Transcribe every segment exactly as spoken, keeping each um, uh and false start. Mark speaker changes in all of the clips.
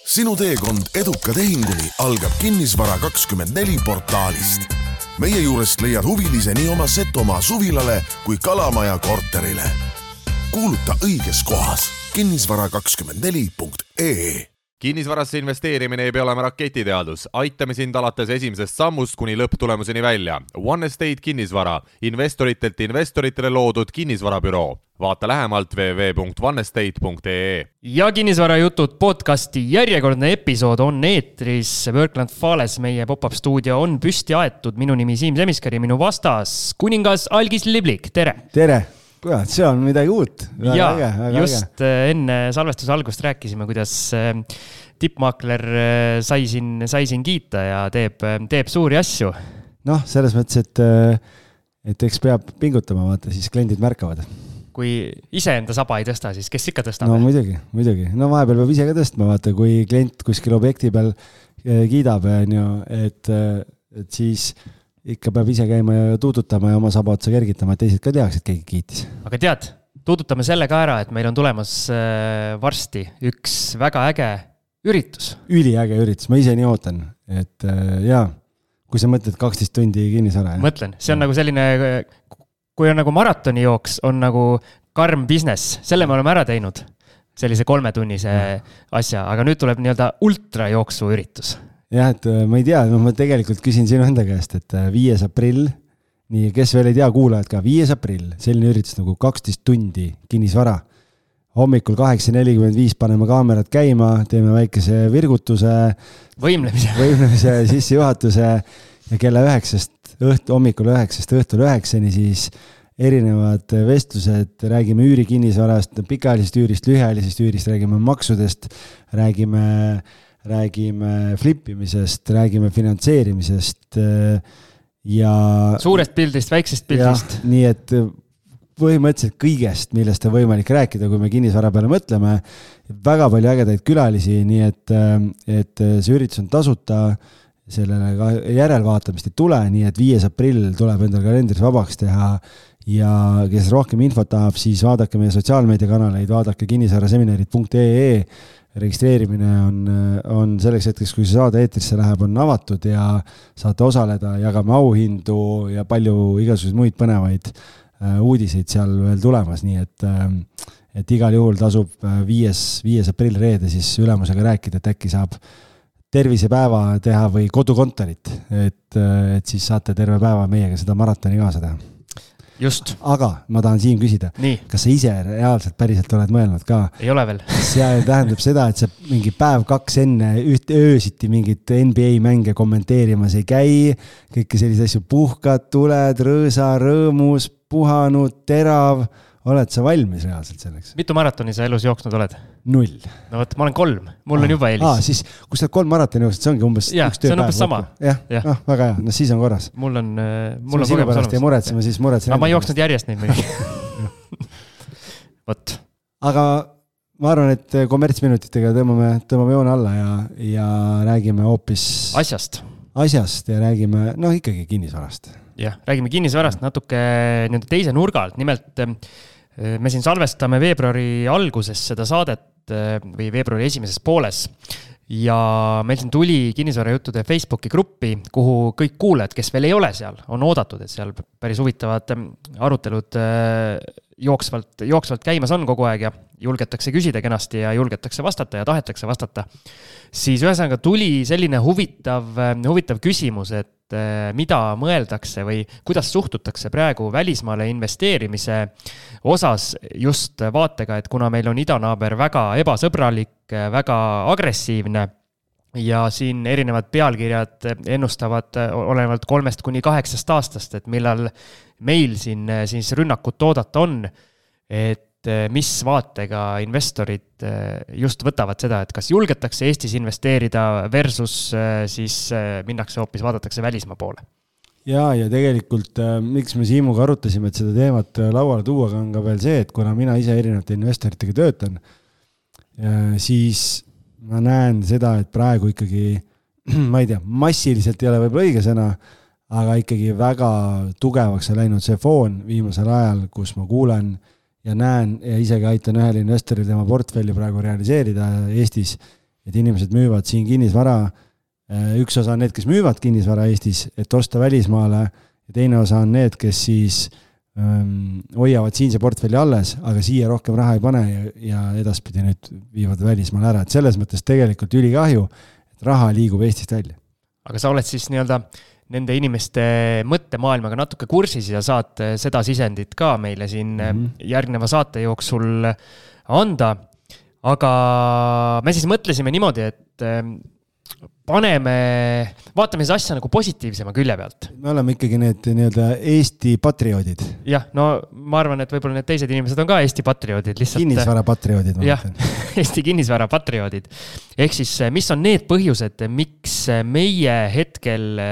Speaker 1: Sinu teekond eduka tehinguni algab Kinnisvara kakskümmend neli portaalist. Meie juurest leiad huvilise nii oma Setomaa suvilale kui Kalamaja korterile. Kuuluta õiges kohas kinnisvara kakskümmend neli punkt ee.
Speaker 2: Kinnisvarasse investeerimine ei pea olema raketiteadus. Aitame sind alates esimesest sammust kuni lõpptulemuseni välja. One Estate Kinnisvara, investoritelt investoritele loodud kinnisvarabüroo. Vaata lähemalt w w w punkt one estate punkt ee.
Speaker 3: Ja Kinnisvara jutud podcasti järjekordne episood on eetris. Workland Fales, meie pop-up stuudio on püsti aetud. Minu nimi Siim Semiskar ja minu vastas kuningas Algis Liblik. Tere!
Speaker 4: Tere! Kurat, see on midagi uut.
Speaker 3: Ja, äge, äge, just äge. Enne salvestuse algust rääkisime, kuidas tippmaakler sai siin, sai siin kiita ja teeb, teeb suuri asju.
Speaker 4: Noh, selles mõttes, et, et eks peab pingutama, vaata, siis kliendid märkavad.
Speaker 3: Kui ise enda saba ei tõsta, siis kes ikka tõstab?
Speaker 4: No muidugi, muidugi. No vahepeal peab ise ka tõstma, vaata, kui klient kuskil objekti peal kiidab, et, et siis ikka peab ise käima ja tuudutama ja oma saba otsa kergitama, et teised ka tehaks, et keegi kiitis.
Speaker 3: Aga tead, tuudutame selle ka ära, et meil on tulemas varsti üks väga äge üritus.
Speaker 4: Üliäge üritus, ma ise nii ootan, et jaa, kui sa mõtled kaksteist tundi kinnisvara.
Speaker 3: Mõtlen, see on nagu selline, kui on nagu maratoni jooks, on nagu karm business, selle me oleme ära teinud, sellise kolmetunnise asja, aga nüüd tuleb nii-öelda ultra jooksu üritus.
Speaker 4: Jah, et ma ei tea, no ma tegelikult küsin sinu enda käest, et viies aprill, nii kes veel ei tea, kuulajad ka, viies aprill, selline üritus nagu kaksteist tundi kinnisvara. Hommikul kaheksa nelikümmend viis paneme kaamerad käima, teeme väikese virgutuse,
Speaker 3: võimlemise,
Speaker 4: võimlemise sissejuhatuse ja kella üheksast, õht, hommikul üheksast, õhtul üheksani siis erinevad vestlused, räägime üüri kinnisvarast, pikaajalisest üürist, lühiajalisest üürist, räägime maksudest, räägime räägime flippimisest, räägime finantseerimisest ja
Speaker 3: suurest pildist, väiksest pildist.
Speaker 4: Ja, nii et põhimõtteliselt kõigest, millest on võimalik rääkida, kui me kinnisvara peale mõtleme. Väga palju ägedaid külalisi, nii et, et see üritus on tasuta, sellele järelvaatamist ei tule, nii et viies aprill tuleb endal kalendris vabaks teha ja kes rohkem infot tahab, siis vaadake meie sotsiaalmeediakanaleid, vaadake kinnisvaraseminarid punkt ee. Registreerimine on, on selleks hetkeks, kui see saade eetrisse läheb, on avatud ja saate osaleda, jagame auhindu ja palju igasuguseid muid põnevaid uudiseid seal veel tulemas, nii et, et igal juhul tasub viies, viies aprill reede siis ülemusega rääkida, et äkki saab tervisepäeva teha või kodukontorit, et, et siis saate terve päeva meiega seda maratoni kaasa teha.
Speaker 3: Just.
Speaker 4: Aga ma tahan Siim küsida,
Speaker 3: nii.
Speaker 4: Kas sa ise reaalselt päriselt oled mõelnud ka?
Speaker 3: Ei ole veel.
Speaker 4: See tähendab seda, et sa mingi päev kaks enne üht öösiti mingit N B A mänge kommenteerimas ei käi, kõike sellise asju puhkad, tuled, rõõsa, rõõmus, puhanud, terav. Oled sa valmis reaalselt selleks?
Speaker 3: Mitu maratoni sa elus jooksnud oled?
Speaker 4: Null.
Speaker 3: No võt, ma olen kolm. Mul
Speaker 4: ah,
Speaker 3: on juba eelis.
Speaker 4: Ah, siis, kui sa oled kolm maratoni jooksnud, see ongi umbes
Speaker 3: ja,
Speaker 4: üks tööpäev.
Speaker 3: See on umbes sama.
Speaker 4: Jah, ja. No, väga hea. No siis on korras.
Speaker 3: Mul on, mul on
Speaker 4: sinu pärast ei muretsema, siis muretsen.
Speaker 3: Aga ma ei jooksnud järjest neid mõni. Võt.
Speaker 4: Aga ma arvan, et kommertsminutitega tõmbame, tõmbame joone alla ja, ja räägime hoopis
Speaker 3: asjast.
Speaker 4: Asjast ja räägime, no ikkagi kinnisvarast.
Speaker 3: Jah, räägime kinnisvarast natuke nende teise nurgalt. Nimelt me siin salvestame veebruari alguses seda saadet või veebruari esimeses pooles ja meil siin tuli kinnisvarajuttude Facebooki gruppi, kuhu kõik kuulajad, kes veel ei ole seal, on oodatud, et seal päris huvitavad arutelud jooksvalt, jooksvalt käimas on kogu aeg ja julgetakse küsida kenasti ja julgetakse vastata ja tahetakse vastata. Siis ühesõnaga tuli selline huvitav, huvitav küsimus, et mida mõeldakse või kuidas suhtutakse praegu välismaale investeerimise osas just vaatega, et kuna meil on idanaaber väga ebasõbralik, väga agressiivne ja siin erinevad pealkirjad ennustavad olenevalt kolmest kuni kaheksast aastast, et millal meil siin siis rünnakut toodata on, et mis vaatega investorid just võtavad seda, et kas julgetakse Eestis investeerida versus siis minnakse hoopis vaadatakse välismaa poole.
Speaker 4: Ja, ja tegelikult miks me Siimuga arutasime, et seda teemat lauale tuua on ka veel see, et kuna mina ise erinevate investoritega töötan, siis ma näen seda, et praegu ikkagi, ma ei tea, massiliselt ei ole võib-olla õige sõna, aga ikkagi väga tugevaks on läinud see foon viimasel ajal, kus ma kuulen ja näen ja isegi aitan ühel investoril tema portfelli praegu realiseerida Eestis, et inimesed müüvad siin kinnisvara, üks osa on need, kes müüvad kinnisvara Eestis, et osta välismaale, ja teine osa on need, kes siis ähm, hoiavad siinse portfelli alles, aga siia rohkem raha ei pane ja, ja edaspidi nüüd viivad välismaale ära, et selles mõttes tegelikult ülikahju, et raha liigub Eestist välja.
Speaker 3: Aga sa oled siis nii-öelda nende inimeste mõttemaailmaga natuke kursis ja saad seda sisendit ka meile siin mm-hmm. järgneva saate jooksul anda. Aga me siis mõtlesime niimoodi, et paneme, vaatame siis asja nagu positiivsema külje pealt.
Speaker 4: Me oleme ikkagi need nii-öelda Eesti patrioodid.
Speaker 3: Jah, no ma arvan, et võib-olla need teised inimesed on ka Eesti patrioodid. Lihtsalt...
Speaker 4: Kinnisvara patrioodid.
Speaker 3: Jah, Eesti kinnisvara patrioodid. Ehk siis, mis on need põhjused, miks meie hetkel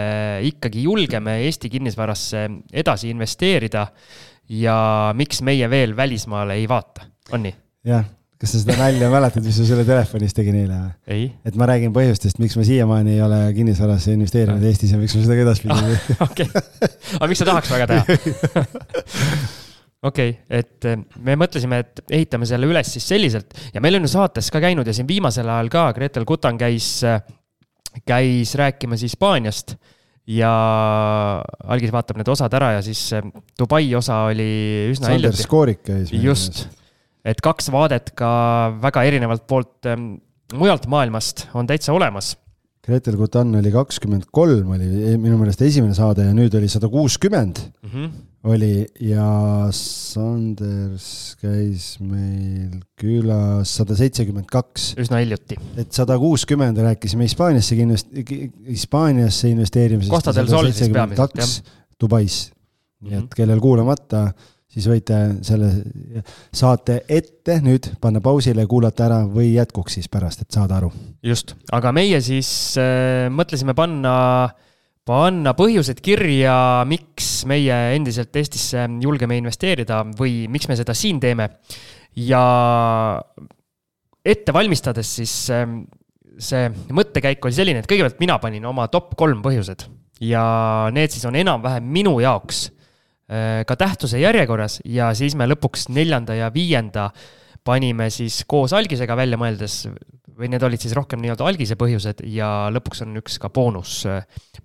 Speaker 3: ikkagi julgeme Eesti kinnisvarasse edasi investeerida ja miks meie veel välismaale ei vaata? On nii?
Speaker 4: Jah. Kas sa seda nalja mäletad, mis sa selle telefonis tegi neile?
Speaker 3: Ei.
Speaker 4: Et ma räägin põhjustest, miks ma siiamaani ei ole kinnisvarasse investeerinud Eestis ja miks ma seda edaspidi.
Speaker 3: Ah, okei. Okay. Aga miks sa tahaks väga teha? Okei, okay, et me mõtlesime, et ehitame selle üles siis selliselt ja meil on ju saates ka käinud ja siin viimasel ajal ka Gretel Kutan käis, käis rääkima siis Hispaaniast ja Algis vaatab need osad ära ja siis Dubai osa oli üsna
Speaker 4: Sander Skoorik käis.
Speaker 3: Just. Et kaks vaadet ka väga erinevalt poolt ähm, mujalt maailmast on täitsa olemas.
Speaker 4: Gretel Kutan oli kakskümmend kolm, oli minu meelest esimene saade ja nüüd oli sada kuuskümmend mm-hmm. oli ja Sanders käis meil külas sada seitsekümmend kaks.
Speaker 3: Üsna hiljuti.
Speaker 4: Et sada kuuskümmend rääkisime Hispaaniasse, Hispaaniasse investeerimisest.
Speaker 3: Costa del Sol siis peamiselt, jah.
Speaker 4: Dubais. Nii et kellel kuulamata siis võite selle saate ette nüüd panna pausile, kuulata ära või jätkuks siis pärast, et saada aru.
Speaker 3: Just, aga meie siis äh, mõtlesime panna, panna põhjused kirja, miks meie endiselt Eestisse julgeme investeerida või miks me seda siin teeme. Ja ette valmistades siis äh, see mõttekäik oli selline, et kõigepealt mina panin oma top kolm põhjused ja need siis on enam-vähem minu jaoks ka tähtsuse järjekorras ja siis me lõpuks neljanda ja viienda panime siis koos Algisega välja mõeldes või need olid siis rohkem nii-öelda Algise põhjused ja lõpuks on üks ka boonus,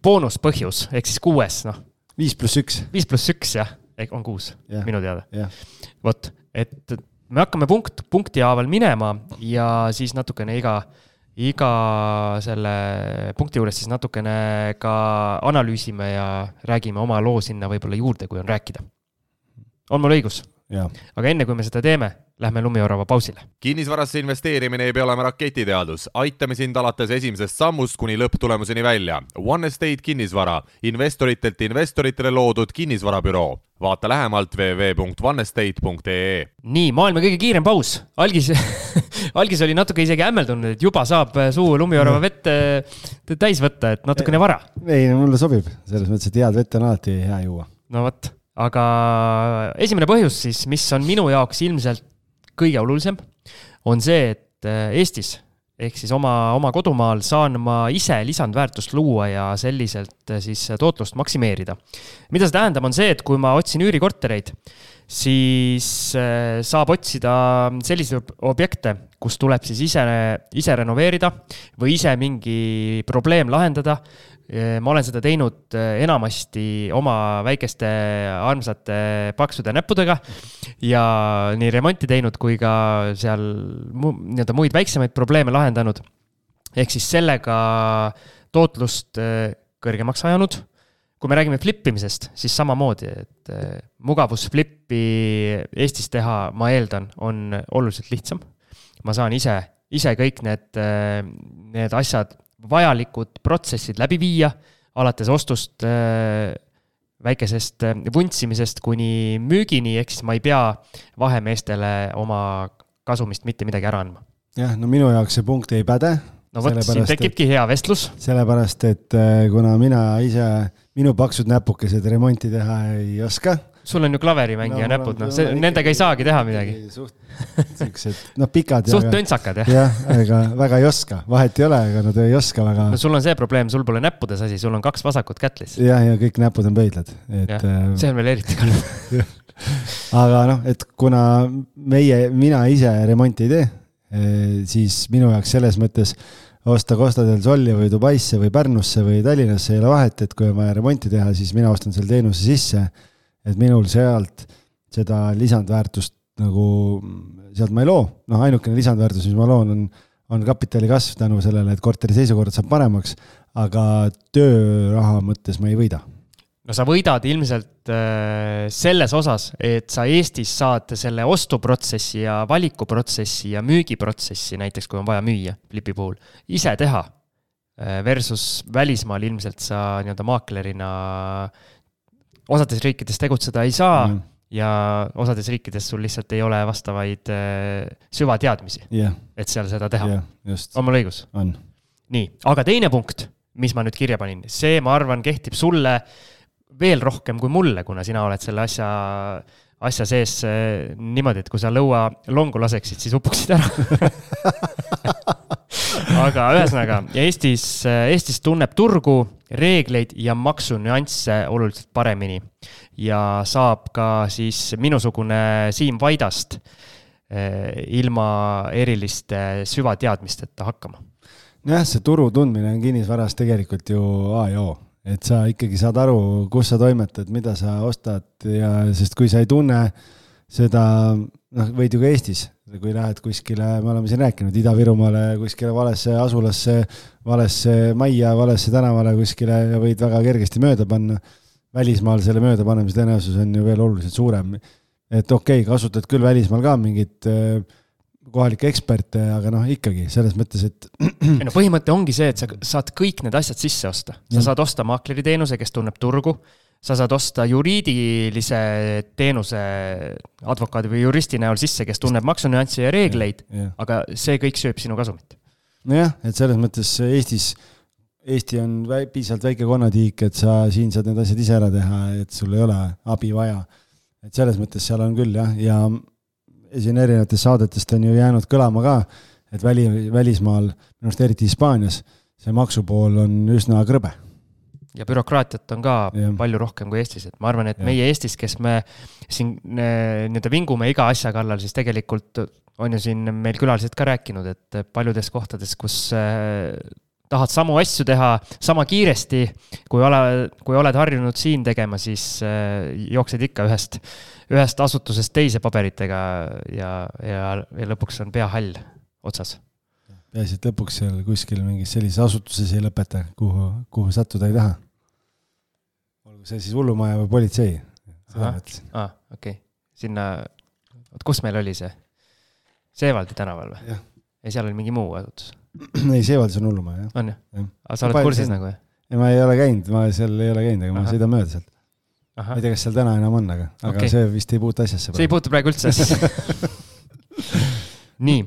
Speaker 3: boonus põhjus, ehk siis kuues, noh.
Speaker 4: Viis pluss üks.
Speaker 3: Viis pluss üks, jah, on kuus, yeah. Minu teada.
Speaker 4: Yeah.
Speaker 3: Vot, et me hakkame punkt, punkti haaval minema ja siis natukene iga iga selle punkti juures siis natukene ka analüüsime ja räägime oma loo sinna võib-olla juurde, kui on rääkida. On mul õigus?
Speaker 4: Ja.
Speaker 3: Aga enne kui me seda teeme, lähme Lumiorava pausile.
Speaker 2: Kinnisvarasse investeerimine ei pea olema raketiteadus. Aitame sind alates esimesest sammust kuni lõpptulemuseni välja. One Estate kinnisvara. Investoritelt investoritele loodud kinnisvarabüroo. Vaata lähemalt double-u double-u double-u punkt one estate punkt e e. Nii,
Speaker 3: maailma kõige kiirem paus. Algis, Algis oli natuke isegi ämmeldunud, et juba saab suu Lumiorava vett täis võtta, et natukene vara.
Speaker 4: Ei, mulle sobib. Selles mõttes, et head vett on alati hea juua.
Speaker 3: No võt. Aga esimene põhjus siis, mis on minu jaoks ilmselt kõige olulisem, on see, et Eestis, ehk siis oma, oma kodumaal saan ma ise lisandväärtust luua ja selliselt siis tootlust maksimeerida. Mida see tähendab on see, et kui ma otsin üürikortereid, siis saab otsida selliseid objekte, kus tuleb siis ise, ise renoveerida või ise mingi probleem lahendada. Ma olen seda teinud enamasti oma väikeste armsate paksude näppudega ja nii remonti teinud kui ka seal nii-öelda muid väiksemaid probleeme lahendanud. Ehk siis sellega tootlust kõrgemaks ajanud. Kui me räägime flippimisest, siis samamoodi, et mugavusflippi Eestis teha, ma eeldan, on oluliselt lihtsam. Ma saan ise, ise kõik need, need asjad vajalikud protsessid läbi viia, alates ostust väikesest vuntsimisest kuni müügini, ehk siis ma ei pea vahemeestele oma kasumist mitte midagi ära andma.
Speaker 4: Jah, no minu jaoks see punkt ei päde.
Speaker 3: No võt, siin tekibki hea vestlus.
Speaker 4: Sellepärast, et kuna mina ise, minu paksud näpukesed remonti teha ei oska.
Speaker 3: Sul on ju klaverimängija no, näpud, no, see, nendega ei saagi teha midagi.
Speaker 4: Suht, siuksed, no pikad.
Speaker 3: Suht töntsakad, jah.
Speaker 4: Jah, aga väga ei oska. Vahet ei ole, aga nad ei oska väga.
Speaker 3: No sul on see probleem, sul pole näppudes asi, sul on kaks vasakut kätlis.
Speaker 4: Jah, ja kõik näpud on pöidlad. Et,
Speaker 3: ja, see on veel eriti kalm.
Speaker 4: Aga noh, et kuna meie, mina ise remonti ei tee, siis minu jaoks selles mõttes osta Costa del Sol'i või Dubaisse või Pärnusse või Tallinnasse ei ole vahet, et kui on vaja remonti teha, siis mina ostan selle teenuse sisse, et minul sealt seda lisandväärtust nagu, sealt ma ei loo. Noh, ainukene lisandväärtus, mis ma loon, on, on kapitali kasv tänu sellele, et korteri seisukord saab paremaks, aga tööraha mõttes ma ei võida.
Speaker 3: No sa võidad ilmselt äh, selles osas, et sa Eestis saad selle ostuprotsessi ja valikuprotsessi ja müügiprotsessi, näiteks kui on vaja müüa flipi puhul, ise teha versus välismaal ilmselt sa nii-öelda maaklerina osades riikides tegutseda ei saa mm. ja osades riikides sul lihtsalt ei ole vastavaid äh, süvateadmisi,
Speaker 4: yeah.
Speaker 3: et seal seda teha.
Speaker 4: Yeah, just.
Speaker 3: On mul õigus?
Speaker 4: On.
Speaker 3: Nii, aga teine punkt, mis ma nüüd kirja panin, see ma arvan kehtib sulle veel rohkem kui mulle, kuna sina oled selle asja, asja sees niimoodi, et kui sa lõua longu laseksid, siis upuksid ära. Aga ühesõnaga, Eestis, Eestis tunneb turgu, reegleid ja maksunüansse oluliselt paremini ja saab ka siis minusugune Siim Vaidast ilma eriliste süvateadmisteta hakkama.
Speaker 4: Jah, see turu tundmine on kinnisvaras tegelikult ju A ja O. Et sa ikkagi saad aru, kus sa toimetad, mida sa ostad ja sest kui sa ei tunne seda, noh, võid ju ka Eestis, kui lähed kuskile, me oleme siin rääkinud, Ida-Virumaale, kuskile valesse asulasse, valesse majja, valesse tänavale kuskile ja võid väga kergesti mööda panna. Välismaal selle mööda panemise tõenäosus on ju veel oluliselt suurem. Et okei, okay, kasutad küll välismaal ka mingit kohalike eksperte, aga noh, ikkagi selles mõttes, et
Speaker 3: no põhimõte ongi see, et sa saad kõik need asjad sisse osta. Sa saad osta maakleri teenuse, kes tunneb turgu, sa saad osta juriidilise teenuse advokaadi või juristi näol sisse, kes tunneb maksunüansse ja reegleid, ja, ja. Aga see kõik sööb sinu kasumit.
Speaker 4: Nojah, et selles mõttes Eestis, Eesti on piisavalt väike konnatiik, et sa siin saad need asjad ise ära teha, et sul ei ole abi vaja. Et selles mõttes seal on küll, jah, ja siin erinevatest saadetest on ju jäänud kõlama ka, et väli, välismaal, minust eriti Hispaanias, see maksupool on üsna krõbe.
Speaker 3: Ja bürokraatiat on ka ja. Palju rohkem kui Eestis. Et ma arvan, et ja. Meie Eestis, kes me siin nii-öelda vingume iga asja kallal, siis tegelikult on ju siin meil külalised ka rääkinud, et paljudes kohtades, kus tahad samu asju teha sama kiiresti, kui, ole, kui oled harjunud siin tegema, siis jooksed ikka ühest ühest asutusest teise paberitega ja, ja, ja lõpuks on pea hall otsas.
Speaker 4: Peaasi, et lõpuks seal kuskil mingis sellises asutuses ei lõpeta, kuhu, kuhu sattuda ei taha. Olgu see siis hullumaja või politsei. Seda mõtlesin.
Speaker 3: Ah, okei. Okay. Sinna, kus meil oli see? Seevaldi tänaval või?
Speaker 4: Ja.
Speaker 3: Ja seal oli mingi muu asutus?
Speaker 4: Ei, Seevaldis on hullumaja.
Speaker 3: On ju? Aga sa oled kursis nagu?
Speaker 4: Ja ma ei ole käinud, ma seal ei ole käinud, aga Aha. ma sõidan mööda sealt. Aha. Ma ei tea, kas seal täna enam on, aga, aga okay. See vist ei puutu asjasse.
Speaker 3: See ei puutu praegu üldse. Nii.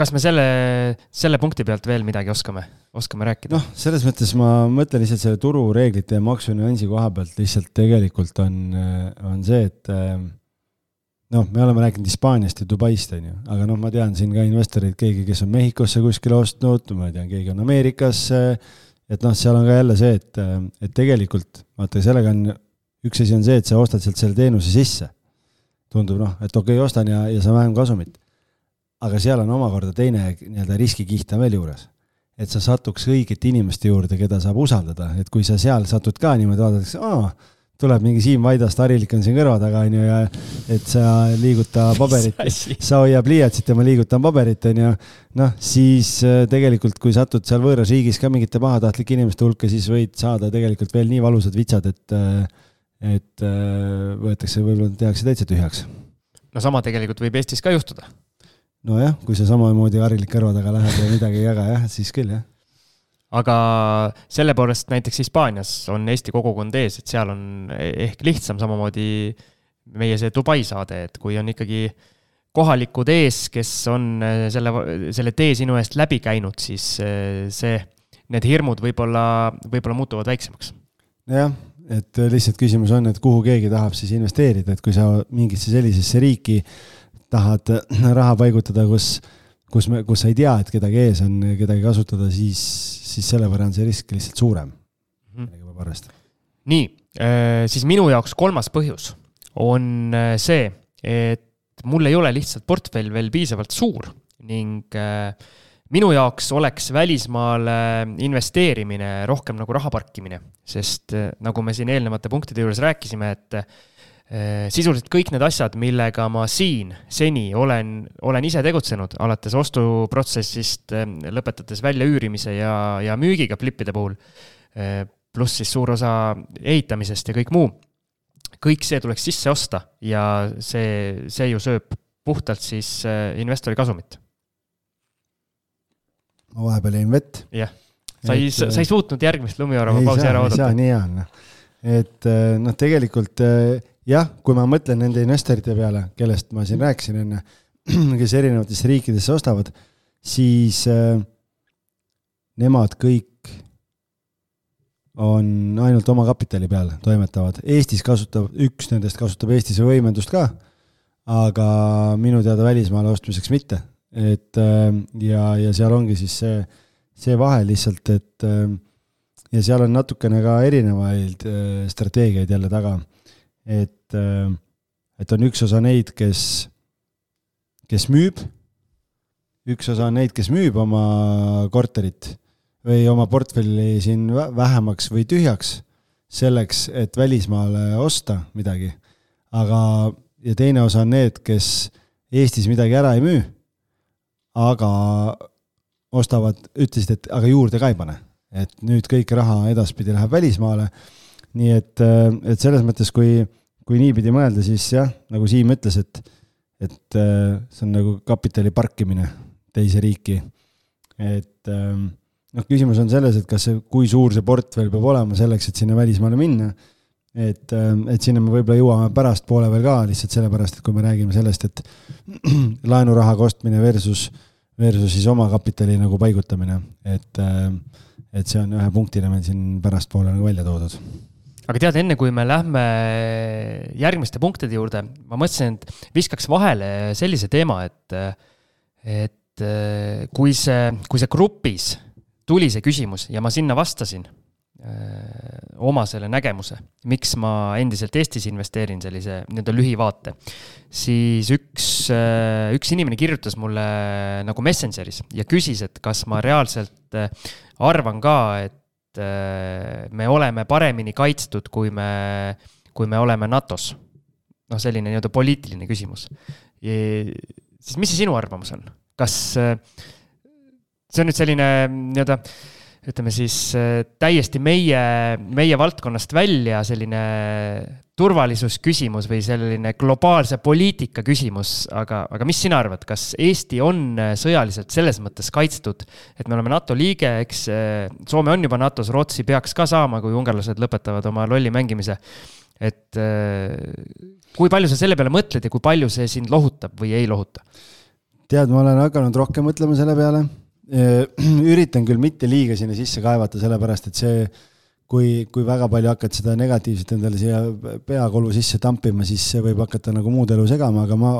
Speaker 3: Kas me selle, selle punkti pealt veel midagi oskame, oskame rääkida?
Speaker 4: Noh, selles mõttes ma mõtlen lihtsalt selle turu reeglite ja maksunüansi koha pealt lihtsalt tegelikult on, on see, et noh, me oleme rääkinud Hispaaniast ja Dubaist, on ju, aga noh, ma tean siin ka investorid, keegi, kes on Mehhikosse kuskil ostnud, ma tean, keegi on Ameerikasse. Et noh, seal on ka jälle see, et, et tegelikult, vaata, sellega on, üks asi on see, et sa ostad sealt selle teenuse sisse. Tundub, noh, et okei, ostan ja, ja sa vähem kasumit. Aga seal on omakorda teine nii-öelda riskikiht veel juures. Et sa satuks õigete inimeste juurde, keda saab usaldada. Et kui sa seal satud ka niimoodi vaadatakse, aa, tuleb mingi Siim Vaidast, Harilik on siin kõrva taga, on ju, ja et sa liiguta paberit, sa hoiab liiatsit ja ma liigutan paberit, on ju, noh, siis tegelikult, kui satud seal võõras riigis ka mingite pahatahtlike inimeste hulka, siis võid saada tegelikult veel nii valusad vitsad, et, et võetakse, võib-olla tehakse täitsa tühjaks.
Speaker 3: No sama tegelikult võib Eestis ka juhtuda.
Speaker 4: No jah, kui sa samamoodi Harilik kõrva taga lähed ja midagi ei jaga, jah, siis küll, jah.
Speaker 3: Aga selle poolest näiteks Hispaanias on Eesti kogukond ees, et seal on ehk lihtsam samamoodi meie see Dubai saade, et kui on ikkagi kohalikud ees, kes on selle, selle tee sinu eest läbi käinud, siis see, need hirmud võib-olla, võib-olla muutuvad väiksemaks.
Speaker 4: Jah, et lihtsalt küsimus on, et kuhu keegi tahab siis investeerida, et kui sa mingisse sellisesse riiki tahad raha paigutada, kus kus, me, kus sa ei tea, et kedagi ees on, kedagi kasutada, siis, siis selle võrra on see risk lihtsalt suurem. Mm-hmm.
Speaker 3: Nii, siis minu jaoks kolmas põhjus on see, et et mul ei ole lihtsalt portfell veel piisavalt suur ning äh, minu jaoks oleks välismaale investeerimine rohkem nagu raha parkimine, sest äh, nagu me siin eelnevate punktide juures rääkisime, et äh, sisuliselt kõik need asjad, millega ma siin seni olen, olen ise tegutsenud, alates ostuprotsessist, äh, lõpetades välja üürimise ja, ja müügiga flippide puhul, äh, pluss siis suur osa ehitamisest ja kõik muu, kõik see tuleks sisse osta ja see, see ju sööb puhtalt siis äh, investori kasumit.
Speaker 4: Ma vahepeal jäin vett.
Speaker 3: Jah, sa ei, sa ei suutnud järgmist lumiorava pausi ära oodata.
Speaker 4: Ei saa, nii on. Et noh, tegelikult jah, kui ma mõtlen nende investorite peale, kellest ma siin rääkisin enne, kes erinevatesse riikidesse ostavad, siis äh, nemad kõik on ainult oma kapitali peal toimetavad. Eestis kasutab, üks nendest kasutab Eestis võimendust ka, aga minu teada välismaale ostmiseks mitte. Et ja, ja seal ongi siis see, see vahe lihtsalt, et ja seal on natukene ka erinevaid strateegiaid jälle taga, et, et on üks osa neid, kes, kes müüb, üks osa on neid, kes müüb oma korterit või oma portfelli siin vähemaks või tühjaks selleks, et välismaale osta midagi, aga ja teine osa on need, kes Eestis midagi ära ei müü, aga ostavad, ütlesid, et aga juurde ka ei pane. Et nüüd kõik raha edaspidi läheb välismaale. Nii et, et selles mõttes, kui, kui nii pidi mõelda, siis jah, nagu Siim ütles, et, et see on nagu kapitali parkimine teise riiki. Et noh, küsimus on selles, et kas see, kui suur see portfell peab olema selleks, et sinna välismaale minna. Et, et sinna me võib-olla jõuame pärast poole veel ka, lihtsalt sellepärast, et kui me räägime sellest, et laenuraha kostmine versus, versus siis oma kapitali nagu paigutamine, et, et see on ühe punktina meil siin pärast poole nagu välja toodud.
Speaker 3: Aga tead, enne kui me lähme järgmiste punktide juurde, ma mõtlesin, et viskaks vahele sellise teema, et, et kui see, kui see grupis tuli see küsimus ja ma sinna vastasin, oma selle nägemuse, miks ma endiselt Eestis investeerin sellise nii-öelda lühivaate, siis üks, üks inimene kirjutas mulle nagu Messengeris ja küsis, et kas ma reaalselt arvan ka, et me oleme paremini kaitstud, kui me, kui me oleme NATOs. Noh, selline nii-öelda poliitiline küsimus. Ja, siis mis see sinu arvamus on? Kas see on nüüd selline nii-öelda ütleme siis täiesti meie, meie valdkonnast välja selline turvalisusküsimus või selline globaalse poliitika küsimus, aga, aga mis sina arvad, kas Eesti on sõjaliselt selles mõttes kaitstud, et me oleme NATO liige, eks Soome on juba NATOs, Rootsi peaks ka saama, kui ungarlased lõpetavad oma lolli mängimise, et kui palju sa selle peale mõtled ja kui palju see sind lohutab või ei lohuta?
Speaker 4: Tead, ma olen hakanud rohkem mõtlema selle peale. Üritan küll mitte liiga sinna sisse kaevata, sellepärast, et see, kui, kui väga palju hakkad seda negatiivset endale siia peakolu sisse tampima, siis see võib hakata nagu muud elu segama, aga ma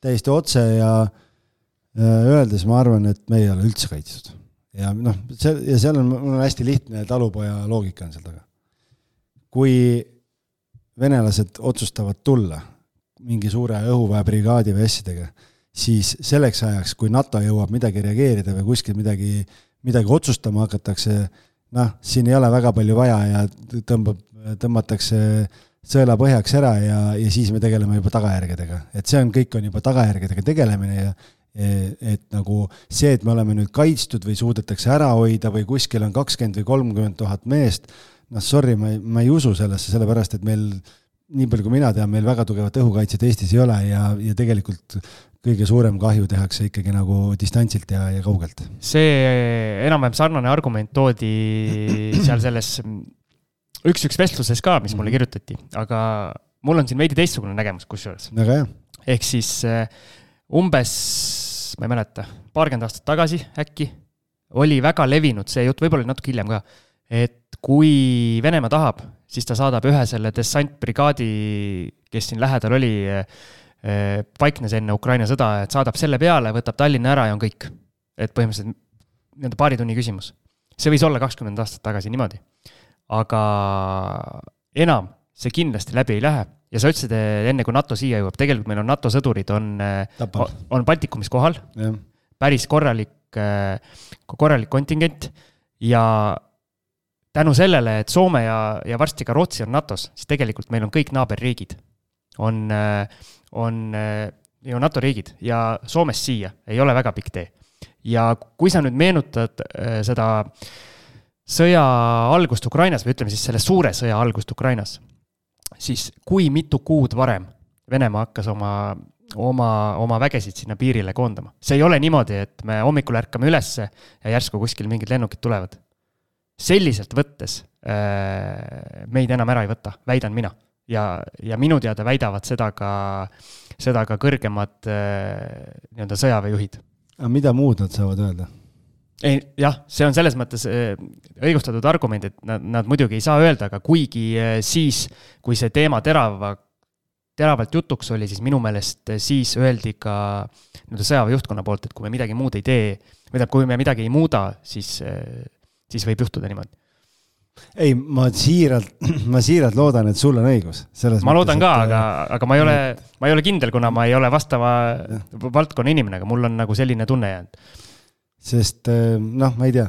Speaker 4: täiesti otse ja öeldes ma arvan, et me ei ole üldse kaitstud. Ja, noh, see, ja seal on, on hästi lihtne talupoja loogika on seal taga. Kui venelased otsustavad tulla mingi suure õhuväebrigaadi või asjadega, siis selleks ajaks, kui NATO jõuab midagi reageerida või kuskil midagi, midagi otsustama hakatakse, noh, siin ei ole väga palju vaja ja tõmbab, tõmbatakse sõela põhjaks ära ja, ja siis me tegeleme juba tagajärgedega. Et see on, kõik on juba tagajärgedega tegelemine ja et nagu see, et me oleme nüüd kaitstud või suudetakse ära hoida või kuskil on kakskümmend või kolmkümmend tuhat meest, noh, sorry, ma ei, ma ei usu sellesse, sellepärast, et meil, nii palju kui mina tean, meil väga tugevat õhukaitset Eestis ei ole ja, ja tegelikult kõige suurem kahju tehakse ikkagi nagu distantsilt ja, ja kaugelt.
Speaker 3: See enam-vähem sarnane argument toodi seal selles üks-üks vestluses ka, mis mulle kirjutati, aga mul on siin veidi teistsugune nägemus kusjuures.
Speaker 4: Väga hea.
Speaker 3: Ehk siis umbes, ma ei mäleta, paarkümmend aastat tagasi äkki oli väga levinud see jutt, võib-olla natuke hiljem ka, et kui Venemaa tahab, siis ta saadab ühe selle dessantbrigaadi, kes siin lähedal oli, paiknes enne Ukraina sõda, et saadab selle peale, võtab Tallinna ära ja on kõik. Et põhimõtteliselt nii-öelda paari tunni küsimus. See võis olla kakskümmend aastat tagasi niimoodi. Aga enam see kindlasti läbi ei lähe ja sa ütlesid enne, kui NATO siia jõuab, tegelikult meil on NATO sõdurid, on, on Baltikumis kohal, ja. päris korralik, korralik kontingent ja tänu sellele, et Soome ja, ja varsti ka Rootsi on NATOs, siis tegelikult meil on kõik naaberriigid, on, on ju NATO riigid ja Soomest siia ei ole väga pikk tee. Ja kui sa nüüd meenutad seda sõja algust Ukrainas, või ütleme siis selle suure sõja algust Ukrainas, siis kui mitu kuud varem Venemaa hakkas oma, oma, oma vägesid sinna piirile koondama. See ei ole niimoodi, et me hommikul ärkame ülesse ja järsku kuskil mingid lennukid tulevad. Selliselt võttes meid enam ära ei võta, väidan mina. Ja, ja minu teada väidavad seda ka, seda ka kõrgemad nii-öelda sõjaväejuhid.
Speaker 4: Aga mida muud nad saavad öelda?
Speaker 3: Ei, jah, see on selles mõttes õigustatud argument, et nad, nad muidugi ei saa öelda, aga kuigi siis, kui see teema terava, teravalt jutuks oli, siis minu meelest siis öeldi ka sõjaväejuhtkonna poolt, et kui me midagi muud ei tee, või kui me midagi ei muuda, siis, siis võib juhtuda niimoodi.
Speaker 4: Ei, ma siiralt, ma siiralt loodan, et sul on õigus. Selles
Speaker 3: ma loodan
Speaker 4: mõttes,
Speaker 3: ka,
Speaker 4: et,
Speaker 3: aga, aga ma, ei ole, ma ei ole kindel, kuna ma ei ole vastava valdkonna inimene, aga mul on nagu selline tunne jäänud.
Speaker 4: Sest, noh, ma ei tea,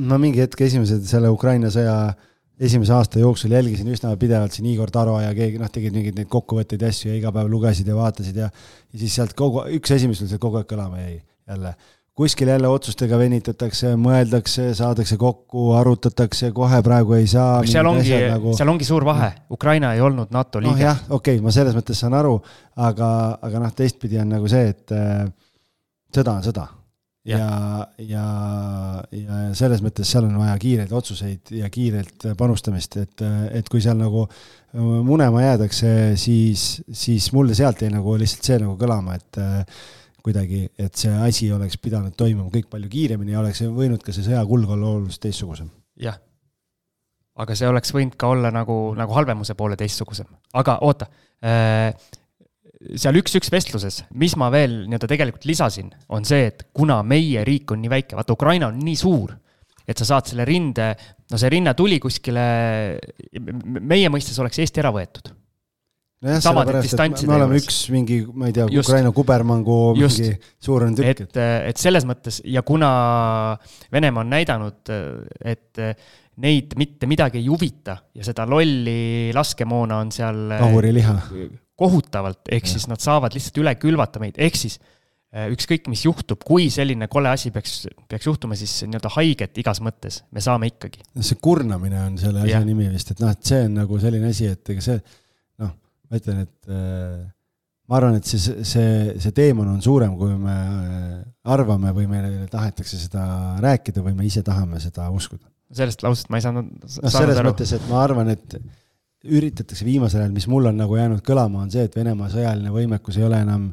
Speaker 4: ma mingi hetk esimesed selle Ukraina sõja esimese aasta jooksul jälgisin üsna pidevalt siin Igor Taro ja keegi, noh, tegid mingid neid kokkuvõtteid ja asju ja iga päev lugesid ja vaatasid ja, ja siis sealt kogu, üks esimesel see kogu aeg kõlama jäi jälle. Kuskil jälle otsustega venitatakse, mõeldakse, saadakse kokku, arutatakse, kohe praegu ei saa.
Speaker 3: Seal ongi, nagu... seal ongi suur vahe. Ukraina ei olnud NATO liige.
Speaker 4: No jah, okei, okay, ma selles mõttes saan aru, aga, aga noh, teistpidi on nagu see, et äh, sõda on sõda. Ja, ja, ja selles mõttes seal on vaja kiireid otsuseid ja kiirelt panustamist, et, et kui seal nagu munema jäädakse, siis, siis mulle sealt ei nagu lihtsalt see nagu kõlama, et kuidagi, et see asi oleks pidanud toimuma kõik palju kiiremini ja oleks võinud ka see sõja kulg olla oluliselt teistsugusem.
Speaker 3: Jah, aga see oleks võinud ka olla nagu, nagu halvemuse poole teistsugusem. Aga oota, äh, seal üks-üks vestluses, mis ma veel nii-öelda tegelikult lisasin, on see, et kuna meie riik on nii väike, vaata Ukraina on nii suur, et sa saad selle rinde, no see rinne tuli kuskile, meie mõistes oleks Eesti ära võetud.
Speaker 4: No jah, sellepärast, et me oleme üks mingi, ma ei tea, just, Ukraina kubermangu just, mingi suuren tükk.
Speaker 3: Et, et selles mõttes, ja kuna Venemaa on näidanud, et neid mitte midagi ei huvita ja seda lolli laskemoona on seal
Speaker 4: kahuriliha
Speaker 3: kohutavalt, ehk ja. Siis nad saavad lihtsalt üle külvata meid, ehk siis ükskõik, mis juhtub, kui selline kole asi peaks, peaks juhtuma, siis nii-öelda haiget igas mõttes me saame ikkagi.
Speaker 4: See kurnamine on selle asja ja. Nimi vist, et noh, et see on nagu selline asi, et ega see, noh, ma ütlen, et äh, ma arvan, et see, see, see teemon on suurem, kui me arvame või meile tahetakse seda rääkida või me ise tahame seda uskuda.
Speaker 3: Sellest lausest ma ei saanud,
Speaker 4: no, selles aru. Mõttes, et ma arvan, et üritatakse viimasel ajal, mis mul on nagu jäänud kõlama, on see, et Venemaa sõjaline võimekus ei ole enam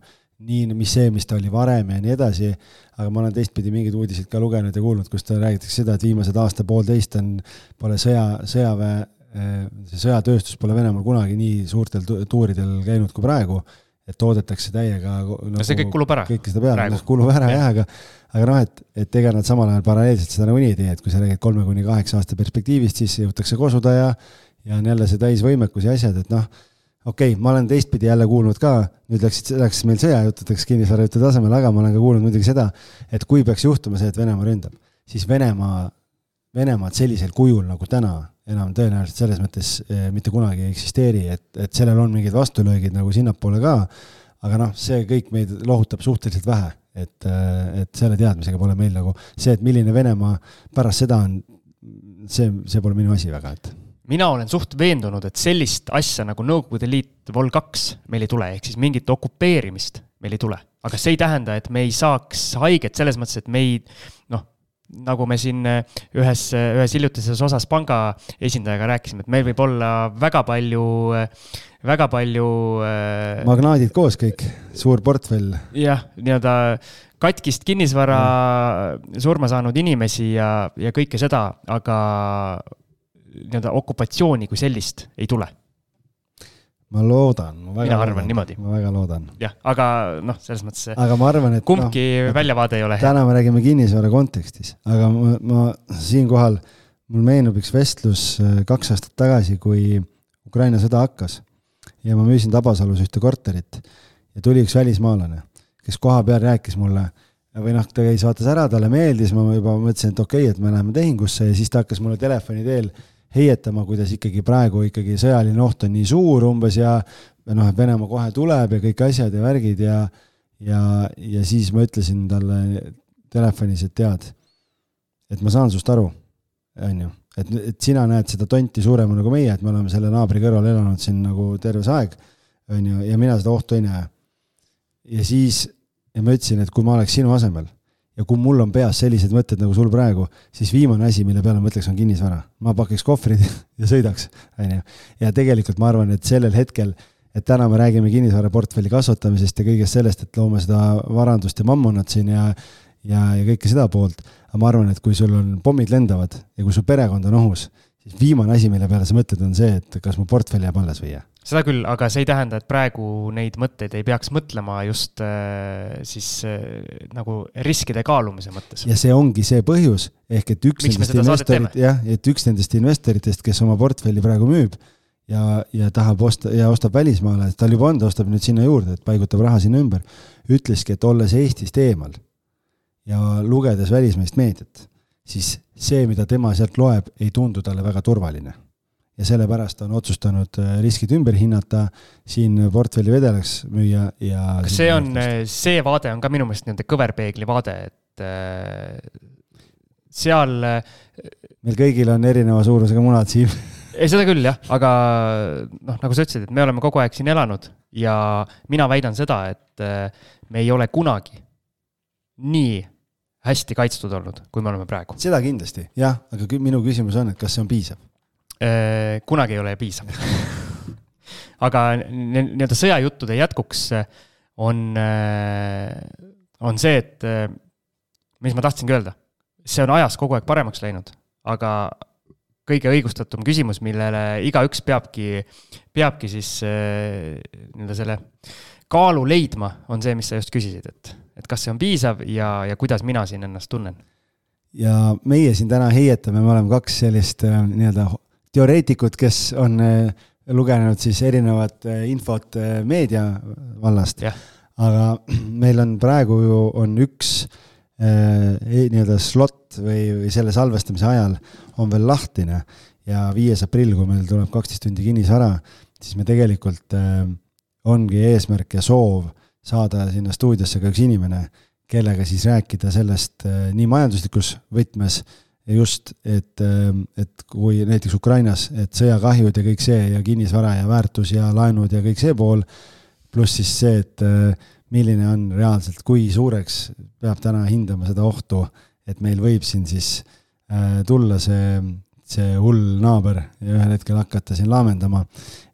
Speaker 4: nii, mis see, mis ta oli varem ja nii edasi, aga ma olen teistpidi mingid uudisid ka lugenud ja kuulnud, kus ta räägitakse seda, et viimased aasta poolteist on, pole sõja, sõjaväe see sõjatööstus pole Venemaal kunagi nii suurtel tuuridel käinud kui praegu, et toodetakse täiega
Speaker 3: nagu, see kõik kulub ära
Speaker 4: kõik seda peale, kulub ära jah, aga, aga noh, et, et ega nad samal ajal paralleelselt seda nagu nii ei tee, et kui sa räägid kolme kuni kaheksa aasta perspektiivist, siis jõutakse kosuda ja, ja on jälle see täisvõimekus ja asjad, et noh, okei, okay, ma olen teistpidi jälle kuulnud ka, nüüd läks, läks meil sõjajututeks kinnisvarajutu tasemel, aga ma olen ka kuulnud muidugi seda, et kui peaks juhtuma see, et Venemaa ründab, siis Venemaa, Venemaad sellisel kujul nagu täna enam tõenäoliselt selles mõttes eh, mitte kunagi ei eksisteeri, et, et sellel on mingid vastulöögid nagu sinnapoole ka, aga noh, see kõik meid lohutab suhteliselt vähe, et, et selle teadmisega pole meil nagu see, et milline Venemaa pärast seda on, see, see pole minu asi väga, et
Speaker 3: mina olen suht veendunud, et sellist asja nagu Nõukogude Liit Vol kaks meil ei tule, ehk siis mingit okupeerimist meil ei tule. Aga see ei tähenda, et me ei saaks haiget selles mõttes, et me ei, noh, nagu me siin ühes, ühes hiljutises osas panga esindajaga rääkisime, et meil võib olla väga palju, väga palju
Speaker 4: magnaadid koos kõik, suur portfell.
Speaker 3: Jah, nii-öelda katkist kinnisvara mm. surma saanud inimesi ja, ja kõike seda, aga nii-öelda okupatsiooni kui sellist ei tule.
Speaker 4: Ma loodan. Ma väga
Speaker 3: Mina arvan
Speaker 4: loodan,
Speaker 3: niimoodi.
Speaker 4: Ma väga loodan.
Speaker 3: Jah, aga noh, selles mõttes
Speaker 4: aga ma arvan, et
Speaker 3: kumbki no, väljavaade ei ole.
Speaker 4: Täna me räägime kinnisvara kontekstis, aga ma, ma siin kohal, mul meenub üks vestlus kaks aastat tagasi, kui Ukraina sõda hakkas ja ma müüsin Tabasalus ühte korterit ja tuli üks välismaalane, kes koha peal rääkis mulle, või noh, ta käis vaatas ära, talle meeldis, ma juba mõtlesin, et okei, et me läheme tehingusse ja siis ta hakkas mulle telefoni teel heietama, kuidas ikkagi praegu ikkagi sõjaline oht on nii suur umbes ja noh, et Venemaa kohe tuleb ja kõik asjad ja värgid ja, ja, ja siis ma ütlesin talle telefonis, et tead, et ma saan sust aru, on ju, et, et sina näed seda tonti suurema nagu meie, et me oleme selle naabri kõrval elanud siin nagu terves aeg, on ju, ja mina seda ohtu ei näe. Ja siis ja ma ütlesin, et kui ma oleks sinu asemel ja kui mul on peas sellised mõtted nagu sul praegu, siis viimane asi, mille peale mõtleks, on kinnisvara. Ma pakiks kohvrid ja sõidaks. Ja tegelikult ma arvan, et sellel hetkel, et täna me räägime kinnisvara portfelli kasvatamisest ja kõigest sellest, et loome seda varandust ja mammonat siin ja, ja, ja kõike seda poolt. Aga ma arvan, et kui sul on pommid lendavad ja kui su perekond on ohus, siis viimane asi, mille peale sa mõtled, on see, et kas mu portfelli jääb alles või jää.
Speaker 3: Seda küll, aga see ei tähenda, et praegu neid mõtteid ei peaks mõtlema just äh, siis äh, nagu riskide kaalumise mõttes.
Speaker 4: Ja see ongi see põhjus, ehk et üks, nendest, investorit, jah, et üks nendest investoritest, kes oma portfelli praegu müüb ja, ja tahab osta ja ostab välismaale, tal juba on, ta ostab nüüd sinna juurde, et paigutab raha sinna ümber, ütleski, et olles Eestist eemal ja lugedes välismeest meediat, siis see, mida tema sealt loeb, ei tundu talle väga turvaline. Ja sellepärast on otsustanud riskid ümber hinnata, siin portfelli vedelaks müüa ja...
Speaker 3: Kas see on, see vaade on ka minu meelest nende kõverpeegli vaade, et seal...
Speaker 4: Meil kõigil on erineva suurusega munad siin.
Speaker 3: Ei, seda küll, jah, aga noh, nagu sa ütlesid, et me oleme kogu aeg siin elanud ja mina väidan seda, et me ei ole kunagi nii hästi kaitstud olnud, kui me oleme praegu.
Speaker 4: Seda kindlasti, jah, aga minu küsimus on, et kas see on piisav?
Speaker 3: Kunagi ei ole piisav. Aga nii-öelda sõjajuttude jätkuks on, on see, et mis ma tahtsingi öelda, see on ajas kogu aeg paremaks läinud, aga kõige õigustatum küsimus, millele igaüks peabki, peabki siis nii-öelda selle kaalu leidma, on see, mis sa just küsisid, et, et kas see on piisav ja, ja kuidas mina siin ennast tunnen.
Speaker 4: Ja meie siin täna heietame, me oleme kaks sellist nii-öelda teoreetikut, kes on lugenud siis erinevat infot meedia vallast. Ja. Aga meil on praegu ju on üks eh, nii-öelda slot või, või selle salvestamise ajal on veel lahtine ja viies aprill, kui meil tuleb kaksteist tundi kinnisvara, siis me tegelikult eh, ongi eesmärk ja soov saada sinna stuudiosse ka üks inimene, kellega siis rääkida sellest eh, nii majanduslikus võtmes ja just, et, et kui näiteks Ukrainas, et sõjakahjud ja kõik see ja kinnisvara ja väärtus ja laenud ja kõik see pool, pluss siis see, et milline on reaalselt, kui suureks peab täna hindama seda ohtu, et meil võib siin siis tulla see, see hull naaber ja ühel hetkel hakata siin laamendama,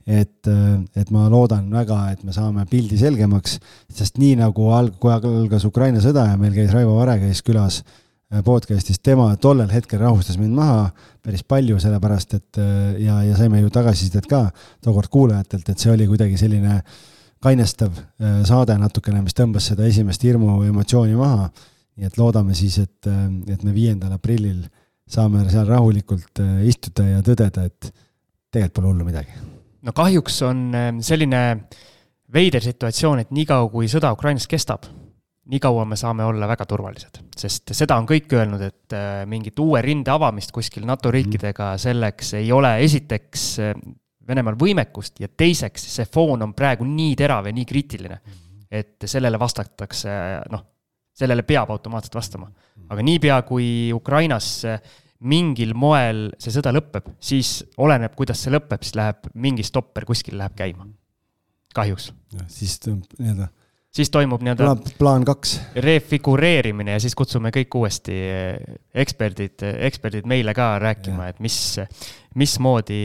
Speaker 4: et, et ma loodan väga, et me saame pildi selgemaks, sest nii nagu alg, kui algas Ukraina sõda ja meil käis Raivo Vare käis külas podcastis, tema tollel hetkel rahustas mind maha päris palju, sellepärast, et ja, ja saime ju tagasisidet ka tookord kuulajatelt, et see oli kuidagi selline kainestav saade natukene, mis tõmbas seda esimest hirmu emotsiooni maha, nii et loodame siis, et, et me viiendal aprillil saame seal rahulikult istuda ja tõdeda, et tegelikult pole hullu midagi.
Speaker 3: No kahjuks on selline veider situatsioon, et nii kaua kui sõda Ukrainas kestab, nii kaua me saame olla väga turvalised, sest seda on kõik öelnud, et mingit uue rinde avamist kuskil NATO riikidega selleks ei ole esiteks Venemaal võimekust ja teiseks see foon on praegu nii terav ja nii kriitiline, et sellele vastatakse, noh, sellele peab automaatselt vastama. Aga niipea kui Ukrainas mingil moel see sõda lõpeb, siis oleneb, kuidas see lõpeb, siis läheb mingi stopper kuskil läheb käima. Kahjuks.
Speaker 4: Ja, siis nii-öelda
Speaker 3: siis toimub nii-öelda
Speaker 4: plaan, plaan kaks
Speaker 3: refigureerimine ja siis kutsume kõik uuesti eksperdid, eksperdid meile ka rääkima, ja. Et mis, mis moodi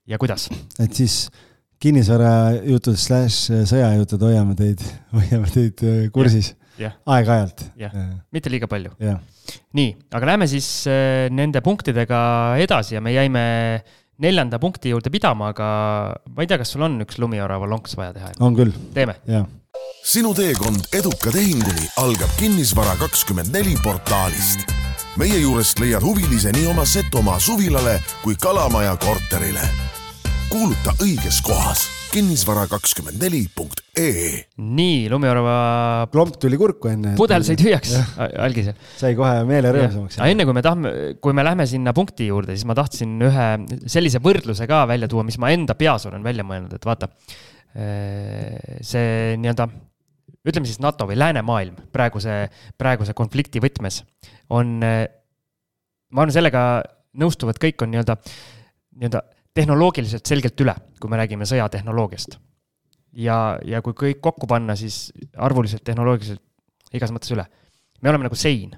Speaker 3: ja kuidas. Et
Speaker 4: siis kinnisvara jutud slash sõjajutud hoiame teid, hoiame teid kursis ja. Ja. Aeg-ajalt.
Speaker 3: Ja. Ja. Mitte liiga palju.
Speaker 4: Ja.
Speaker 3: Nii, aga lähme siis nende punktidega edasi ja me jäime neljanda punkti juurde pidama, aga ma ei tea, kas sul on üks lumiorava lonks vaja teha?
Speaker 4: On küll.
Speaker 3: Teeme.
Speaker 4: Ja.
Speaker 1: Sinu teekond eduka tehinguni algab Kinnisvara kakskümmend neli portaalist. Meie juurest leiad huvilise nii oma Setomaa suvilale kui Kalamaja korterile. kuuluta õiges kohas kinnisvara kakskümmend neli punkt ee.
Speaker 3: Nii, Lumiorava
Speaker 4: klomp tuli kurku enne.
Speaker 3: Pudel sai tühjaks algisel.
Speaker 4: Sai kohe meele rõõmsamaks.
Speaker 3: Enne kui me, tahme, kui me lähme sinna punkti juurde, siis ma tahtsin ühe sellise võrdluse ka välja tuua, mis ma enda peas olen välja mõelnud, et vaata, see nii-öelda, ütleme siis NATO või läänemaailm praeguse, praeguse konflikti võtmes on, ma arvan, sellega nõustuvad kõik on nii-öelda, nii-öelda tehnoloogiliselt selgelt üle, kui me räägime sõjatehnoloogiast. Ja, ja kui kõik kokku panna, siis arvuliselt, tehnoloogiliselt igas mõttes üle. Me oleme nagu sein.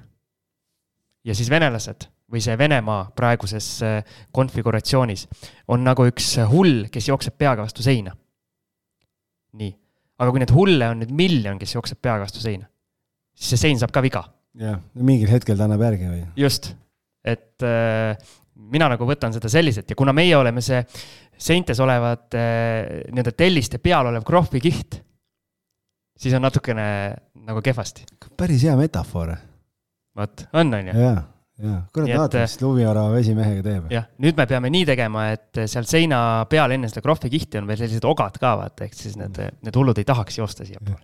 Speaker 3: Ja siis venelased või see Venemaa praeguses konfiguratsioonis on nagu üks hull, kes jookseb peaga vastu seina. Nii. Aga kui need hulle on nüüd miljon, kes jookseb peaga vastu seina, siis see sein saab ka viga.
Speaker 4: Ja, mingil hetkel ta annab järgi või?
Speaker 3: Just. Et äh, mina nagu võtan seda selliselt ja kuna meie oleme see seintes olevad äh, nii-öelda telliste peal olev krohvikiht, siis on natukene nagu kehvasti.
Speaker 4: Päris hea metafoor.
Speaker 3: Vaat, on, on ju?
Speaker 4: Jaa, jaa. Kurat vaata, mis Lumiorava vesimehega teeb.
Speaker 3: Jah, nüüd me peame nii tegema, et seal seina peal enne seda krohvikihti on veel sellised ogad ka, vaata, ehk siis need, need hullud ei tahaks joosta siia pool.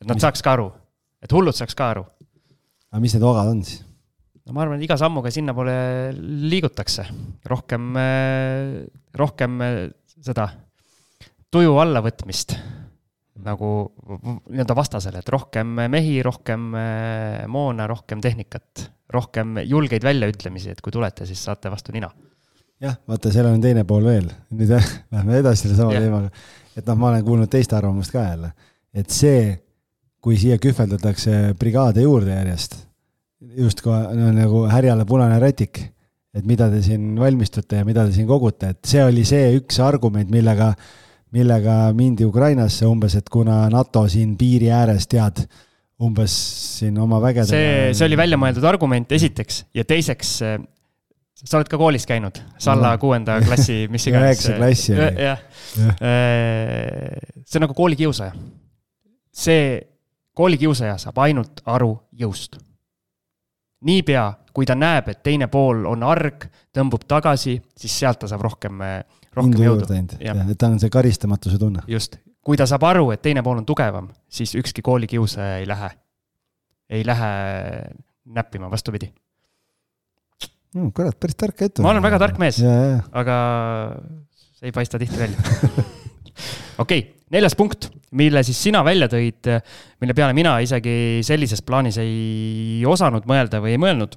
Speaker 3: Et nad saaks ka aru, et hullud saaks ka aru.
Speaker 4: Aga mis need ogad on siis?
Speaker 3: No ma arvan, et iga sammuga sinna poole liigutakse. Rohkem, rohkem seda tuju allavõtmist nagu nii-öelda vastasele, et rohkem mehi, rohkem moona, rohkem tehnikat, rohkem julgeid väljaütlemisi, et kui tulete, siis saate vastu nina.
Speaker 4: Jah, vaata, seal on teine pool veel. Nüüd lähme edasi selle sama ja. Teemaga. Et noh, ma olen kuulnud teiste arvamust ka jälle. Et see, kui siia kühveldatakse brigaade juurde järjest, just kui on nagu härjale punane rätik, et mida te siin valmistute ja mida te siin kogute, et see oli see üks argument, millega, millega mindi Ukrainasse umbes, et kuna NATO siin piiri ääres tead umbes siin oma vägedega.
Speaker 3: See, see oli välja mõeldud argument esiteks ja teiseks, sa oled ka koolis käinud, Salla no. kuuenda klassi, mis iganes.
Speaker 4: Üheksa klassi.
Speaker 3: Ja. Ja. See on nagu koolikiusaja. See koolikiusaja saab ainult aru jõust. Niipea, kui ta näeb, et teine pool on arg, tõmbub tagasi, siis sealt ta saab rohkem, rohkem jõudu.
Speaker 4: Ja, et ta on see karistamatuse tunne.
Speaker 3: Just. Kui ta saab aru, et teine pool on tugevam, siis ükski koolikiusaja ei lähe, ei lähe näppima vastupidi.
Speaker 4: No, kurat, päris tark ette.
Speaker 3: Ma olen väga tark mees,
Speaker 4: ja, ja.
Speaker 3: Aga see ei paista tihti välja. Okei, neljas punkt, mille siis sina välja tõid, mille peale mina isegi sellises plaanis ei osanud mõelda või ei mõelnud,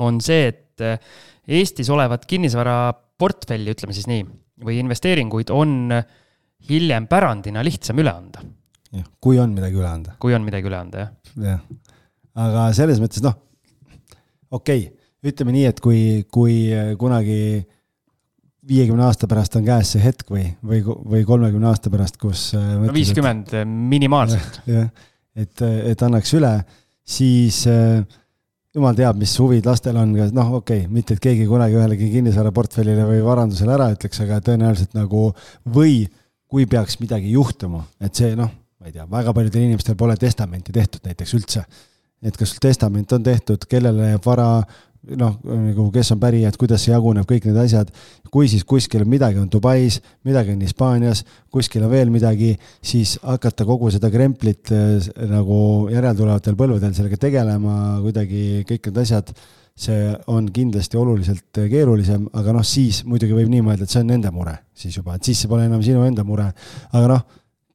Speaker 3: on see, et Eestis olevat kinnisvara portfelli, ütleme siis nii, või investeeringuid on hiljem pärandina lihtsam üle anda.
Speaker 4: Ja, kui on midagi üle anda.
Speaker 3: Kui on midagi üle anda, jah.
Speaker 4: Ja. Aga selles mõttes, noh, okei, ütleme nii, et kui, kui kunagi viiekümne aasta pärast on käes see hetk või, või, või kolmekümne aasta pärast, kus
Speaker 3: no viiskümmend et, minimaalselt.
Speaker 4: Ja, et, et annaks üle, siis jumal teab, mis huvid lastel on. Noh, okei, okay, mitte et keegi kunagi ühelegi kinnisvara portfellile või varandusele ära ütleks, aga tõenäoliselt nagu või kui peaks midagi juhtuma, et see, noh, ma ei tea, väga paljudel inimestel pole testamenti tehtud näiteks üldse. Et kas sul testament on tehtud, kellele vara noh, kes on pärijad, kuidas see jaguneb, kõik need asjad, kui siis kuskil midagi on Dubais, midagi on Hispaanias, kuskil on veel midagi, siis hakata kogu seda kremplit nagu järeltulevatel põlvedel sellega tegelema, kuidagi kõik need asjad, see on kindlasti oluliselt keerulisem, aga noh, siis muidugi võib nii mõelda, et see on nende mure siis juba, et siis see pole enam sinu enda mure, aga noh,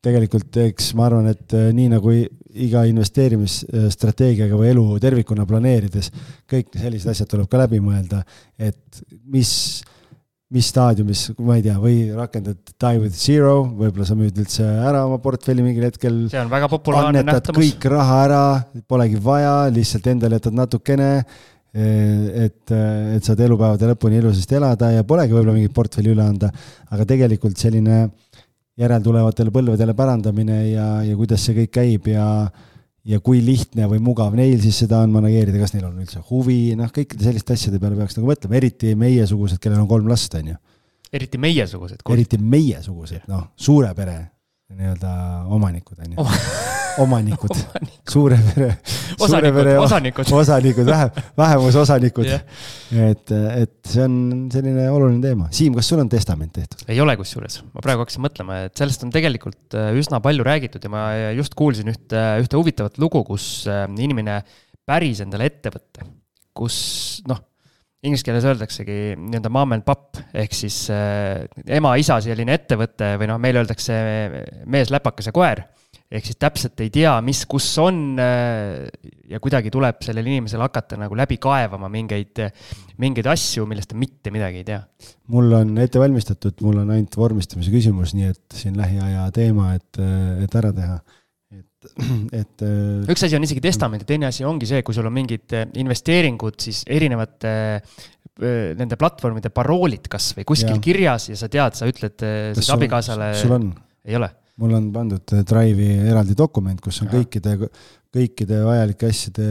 Speaker 4: tegelikult eks ma arvan, et nii nagu iga investeerimisstrateegiaga või elu tervikuna planeerides, kõik sellised asjad tuleb ka läbi mõelda, et mis, mis staadiumis, ma ei tea, või rakendad die with zero, võib-olla sa müüd üldse ära oma portfelli mingil hetkel.
Speaker 3: See on väga populaarne nähtamus.
Speaker 4: Kõik raha ära, polegi vaja, lihtsalt endale jätad natukene, et, et saad elupäevade lõpuni ilusasti elada ja polegi võib-olla mingit portfelli üle anda, aga tegelikult selline järeltulevatele põlvedele pärandamine ja, ja kuidas see kõik käib ja, ja kui lihtne või mugav neil siis seda on manageerida, kas neil on üldse huvi, noh, kõikide selliste asjade peale peaks nagu mõtlema, eriti meiesugused, kellel on kolm last, on ju.
Speaker 3: Eriti meiesugused?
Speaker 4: Eriti meiesugused, noh, suure pere nii-öelda omanikud, on ju.
Speaker 3: Oma...
Speaker 4: omanikud, suure pere,
Speaker 3: suure pere osanikud,
Speaker 4: osanikud, vähem, vähemusosanikud yeah.. et, et see on selline oluline teema. Siim, kas sul on testament tehtud?
Speaker 3: Ei ole kusjuures. Ma praegu hakkasin mõtlema, et sellest on tegelikult üsna palju räägitud ja ma just kuulsin ühte, ühte huvitavat lugu, kus inimene päris endale ettevõtte, kus noh, inglise keeles öeldaksegi nii-öelda mom and pop, ehk siis äh, ema, isa selline ettevõte või noh, meil öeldakse mees, läpakas ja koer. Ehk siis täpselt ei tea, mis kus on ja kuidagi tuleb sellel inimesel hakata nagu läbi kaevama mingeid, mingeid asju, millest ta mitte midagi ei tea.
Speaker 4: Mul on ette valmistatud, mul on ainult vormistamise küsimus, nii et siin lähiaja teema, et, et ära teha. Et, et,
Speaker 3: üks asi on isegi testament ja teine asi ongi see, kui sul on mingid investeeringud, siis erinevate nende platvormide paroolid kas või kuskil ja. Kirjas ja sa tead, sa ütled siis abikaasale...
Speaker 4: Sul on?
Speaker 3: Ei ole.
Speaker 4: Mul on pandud Drive'i eraldi dokument, kus on ja. kõikide, kõikide vajalike asjade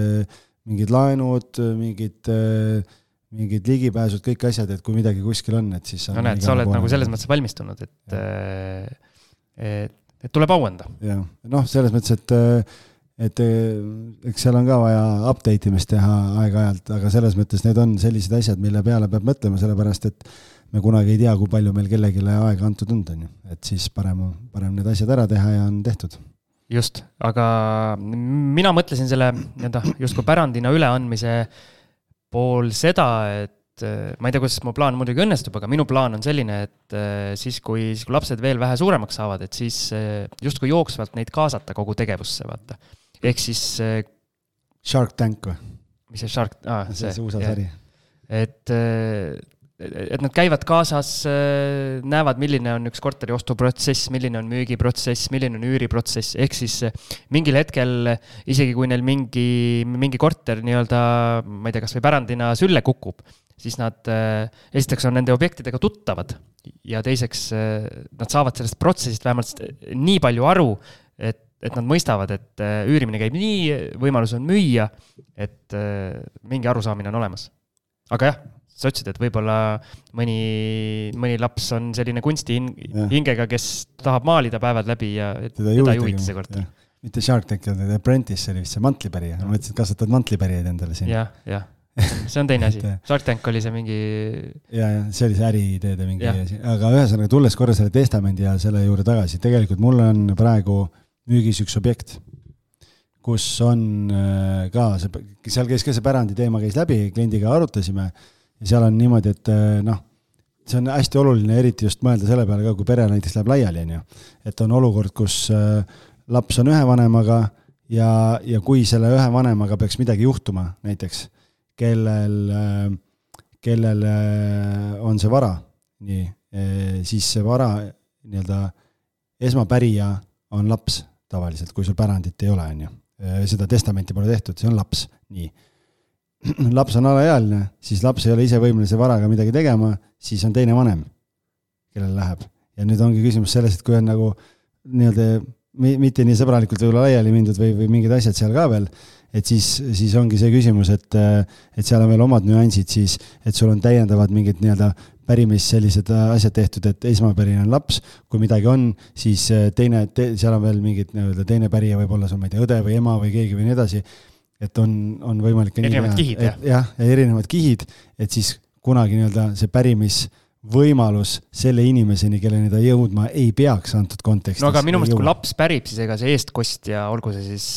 Speaker 4: mingid laenud, mingid, mingid ligipääsud, kõik asjad, et kui midagi kuskil on, et siis...
Speaker 3: No näed, sa oled nagu selles mõttes valmistunud, et, et, et tuleb auanda.
Speaker 4: Ja, noh, selles mõttes, et, et eks seal on ka vaja update imist teha aeg-ajalt, aga selles mõttes need on sellised asjad, mille peale peab mõtlema, sellepärast, et me kunagi ei tea, kui palju meil kellegile aega antud on, on ju. Et siis parem, parem need asjad ära teha ja on tehtud.
Speaker 3: Just, aga mina mõtlesin selle just kui pärandina üleandmise pool seda, et ma ei tea, kuidas mu plaan muidugi õnnestub, aga minu plaan on selline, et siis kui, siis kui lapsed veel vähe suuremaks saavad, et siis just kui jooksvalt neid kaasata kogu tegevusse, vaata. Ehk siis...
Speaker 4: Shark Tank või?
Speaker 3: Mis see Shark... Ah,
Speaker 4: see, see U S A sari.
Speaker 3: Et... et nad käivad kaasas, näevad, milline on üks korteri ostuprotsess, milline on müügiprotsess, milline on üüriprotsess, ehk siis mingil hetkel, isegi kui neil mingi, mingi korter nii-öelda, ma ei tea, kas või pärandina sülle kukub, siis nad esiteks on nende objektidega tuttavad ja teiseks nad saavad sellest protsessist vähemalt nii palju aru, et, et nad mõistavad, et üürimine käib nii, võimalus on müüa, et mingi arusaamine on olemas. Aga jah, sa ütlesid, et võib-olla mõni, mõni laps on selline kunsti hingega, kes tahab maalida päevad läbi ja teda ei huvita see kord.
Speaker 4: Mitte Shark Tank, The Apprentice, see oli vist see mantlipärija. Ma mõtlesin, et kasvatad mantlipärjaid endale siin.
Speaker 3: Jah, jah. See on teine asi. Shark Tank oli see mingi...
Speaker 4: Ja, ja see oli see äriideede mingi asi. Aga ühesõnaga tulles korra selle testamendi ja selle juurde tagasi, tegelikult mul on praegu müügis üks objekt, kus on ka, see, seal käis ka see pärandi teema käis läbi, kliendiga arutasime. Ja seal on niimoodi, et noh, see on hästi oluline, eriti just mõelda selle peale ka, kui pere näiteks läheb laiali, on ju. Et on olukord, kus laps on ühe vanemaga ja, ja kui selle ühe vanemaga peaks midagi juhtuma näiteks, kellel, kellel on see vara, nii, siis see vara nii-öelda esmapärija on laps tavaliselt, kui sul pärandit ei ole, on ju. Seda testamenti pole tehtud, see on laps, nii. Laps on alaealine, siis laps ei ole ise võimelise varaga midagi tegema, siis on teine vanem, kellel läheb. Ja nüüd ongi küsimus selles, et kui on nagu nii-öelda mitte nii sõbralikult võib-olla laiali mindud või, või mingid asjad seal ka veel, et siis, siis ongi see küsimus, et, et seal on veel omad nüansid, siis, et sul on täiendavad mingid nii-öelda pärimis sellised asjad tehtud, et esmapärine on laps, kui midagi on, siis teine, te, seal on veel mingid nii-öelda teine pärija võib olla sul, ma ei tea, õde või ema või keegi või nii edasi, et on, on võimalik
Speaker 3: erinevad nii, kihid,
Speaker 4: et, jah, ja erinevad kihid, et siis kunagi nii-öelda see pärimis võimalus selle inimeseni, kelleni ta jõudma ei peaks antud kontekstis.
Speaker 3: No aga minu mõelest, kui laps pärib, siis ega see eestkost ja olgu see siis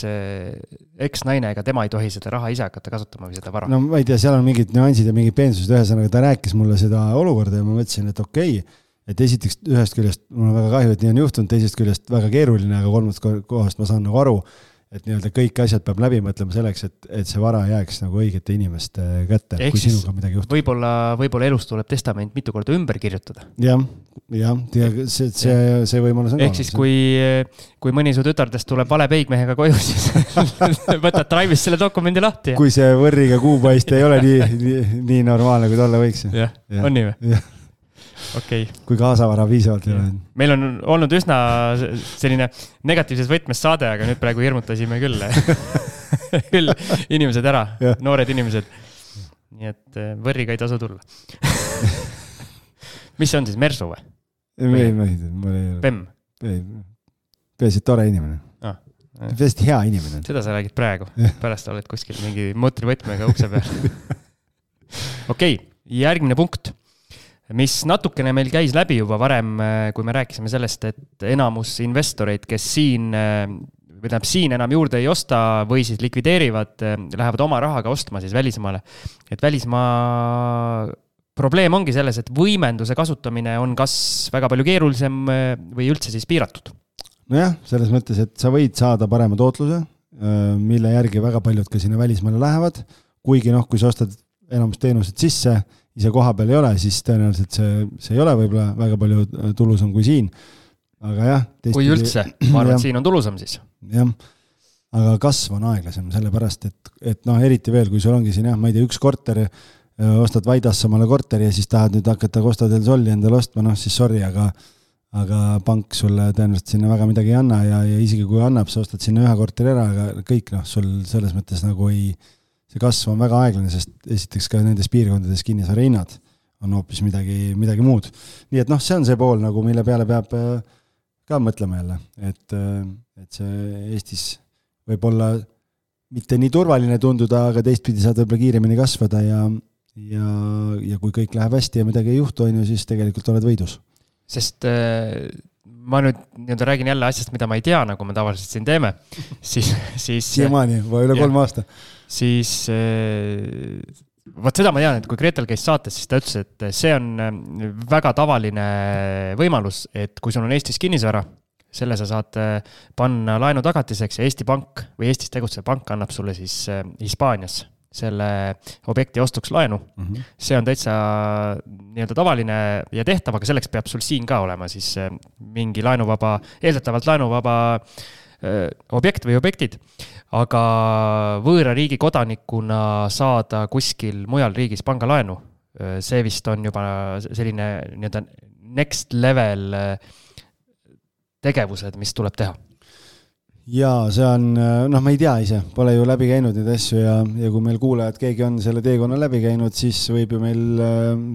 Speaker 3: eks-naine, ega tema ei tohi seda raha ise hakata kasutama või seda vara.
Speaker 4: No ma ei tea, seal on mingid nüansid ja mingid peensused, ühesõnaga ta rääkis mulle seda olukorda ja ma mõtlesin, et okei, et esiteks ühest küljest mul on väga kahju, et nii on juhtunud, teisest küljest väga keeruline, aga kolmandast kohast ma saan nagu aru, et nii-öelda kõik asjad peab läbi mõtlema selleks, et, et see vara jääks nagu õigete inimeste kätte,
Speaker 3: ehk
Speaker 4: kui sinuga midagi juhtub.
Speaker 3: Võib-olla, võib-olla elus tuleb testament mitu korda ümber kirjutada.
Speaker 4: Jah, jah, see, see, see võimalus on.
Speaker 3: Ehk siis kui, kui mõni su tütardest tuleb vale peigmehega koju, siis võtad Drive'is selle dokumendi lahti. Ja...
Speaker 4: Kui see võrriga kuupaist ei ole nii, nii, nii normaalne, kui tolle võiks.
Speaker 3: Jah, ja. On nii või? Jah. Okay.
Speaker 4: Kui kaasavara viisavalt ei ole.
Speaker 3: Meil on olnud üsna selline negatiivses võtmes saade, aga nüüd praegu hirmutasime küll, küll inimesed ära, ja. Noored inimesed. Nii et võrriga ei tasu tulla. Mis see on siis, Mersu või?
Speaker 4: Ei, ei, ei.
Speaker 3: Pem?
Speaker 4: Ei. peaasi tore inimene
Speaker 3: ah,.
Speaker 4: Hästi hea inimene.
Speaker 3: Seda sa räägid praegu, pärast oled kuskil mingi mootorivõtmega ukse peal. Okei, järgmine punkt, mis natukene meil käis läbi juba varem, kui me rääkisime sellest, et enamus investoreid, kes siin, või tähendab siin enam juurde ei osta või siis likvideerivad, lähevad oma rahaga ostma siis välismaale. Et välismaa probleem ongi selles, et võimenduse kasutamine on kas väga palju keerulisem või üldse siis piiratud.
Speaker 4: Nojah, selles mõttes, et sa võid saada parema tootluse, mille järgi väga paljud ka sinna välismaale lähevad, kuigi noh, kui sa ostad enamus teenused sisse, ise koha peal ei ole, siis tõenäoliselt see, see ei ole võib-olla väga palju tulusam kui siin. Aga jah,
Speaker 3: teistpidi, kui üldse, ma arvan, et siin on tulusam siis.
Speaker 4: Jah, aga kasv on aeglasem, sellepärast, et, et noh, eriti veel, kui sul ongi siin jah, ma ei tea, üks korter, ostad Vaidasse omale korteri ja siis tahad nüüd hakata Costa del Soli endale ostma, noh siis sorry, aga aga pank sulle tõenäoliselt sinna väga midagi ei anna ja, ja isegi kui annab, sa ostad sinna ühe korteri ära, aga kõik noh, sul selles mõttes nagu ei, see kasv on väga aeglane, sest esiteks ka nendes piirkondades kinnisvara hinnad on hoopis midagi, midagi muud. Nii et noh, see on see pool, nagu mille peale peab ka mõtlema jälle, et, et see Eestis võib olla mitte nii turvaline tunduda, aga teistpidi saad võib-olla kiiremini kasvada ja, ja, ja kui kõik läheb hästi ja midagi ei juhtu, on ju, siis tegelikult oled võidus.
Speaker 3: Sest äh, ma nüüd nii-öelda räägin jälle asjast, mida ma ei tea, nagu me tavaliselt siin teeme, siis... siis
Speaker 4: siiamaani, või üle kolm aasta.
Speaker 3: Siis, äh, võt seda ma tean, et kui Gretel käis saates, siis ta ütles, et see on väga tavaline võimalus, et kui sul on Eestis kinnisvara, selle sa saad panna laenu tagatiseks ja Eesti Pank või Eestis tegutsev pank annab sulle siis Hispaanias selle objekti ostuks laenu. Mm-hmm. See on täitsa nii-öelda tavaline ja tehtav, aga selleks peab sul siin ka olema siis mingi laenuvaba, eeldatavalt laenuvaba objekt või objektid. Aga võõra riigi kodanikuna saada kuskil mujal riigis pangalaenu, see vist on juba selline nii-öelda next level tegevused, mis tuleb teha.
Speaker 4: Jaa, see on, noh, ma ei tea ise, pole ju läbi käinud neid asju ja, ja kui meil kuulajad, keegi on selle teekonna läbi käinud, siis võib ju meil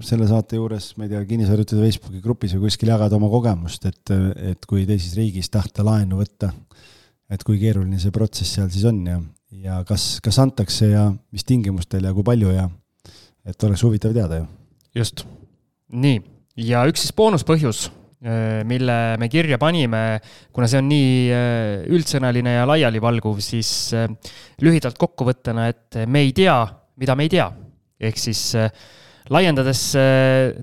Speaker 4: selle saate juures, ma ei tea, kinnisvarjutude Facebooki grupis või kuskil jagada oma kogemust, et, et kui teises riigis tahta laenu võtta, et kui keeruline see protsess seal siis on ja, ja kas, kas antakse ja mis tingimustel ja kui palju ja et oleks huvitav teada ju.
Speaker 3: Just. Nii. Ja üks siis boonuspõhjus, mille me kirja panime, kuna see on nii üldsõnaline ja laialivalguv, siis lühidalt kokkuvõttena, et me ei tea, mida me ei tea. Ehk siis laiendades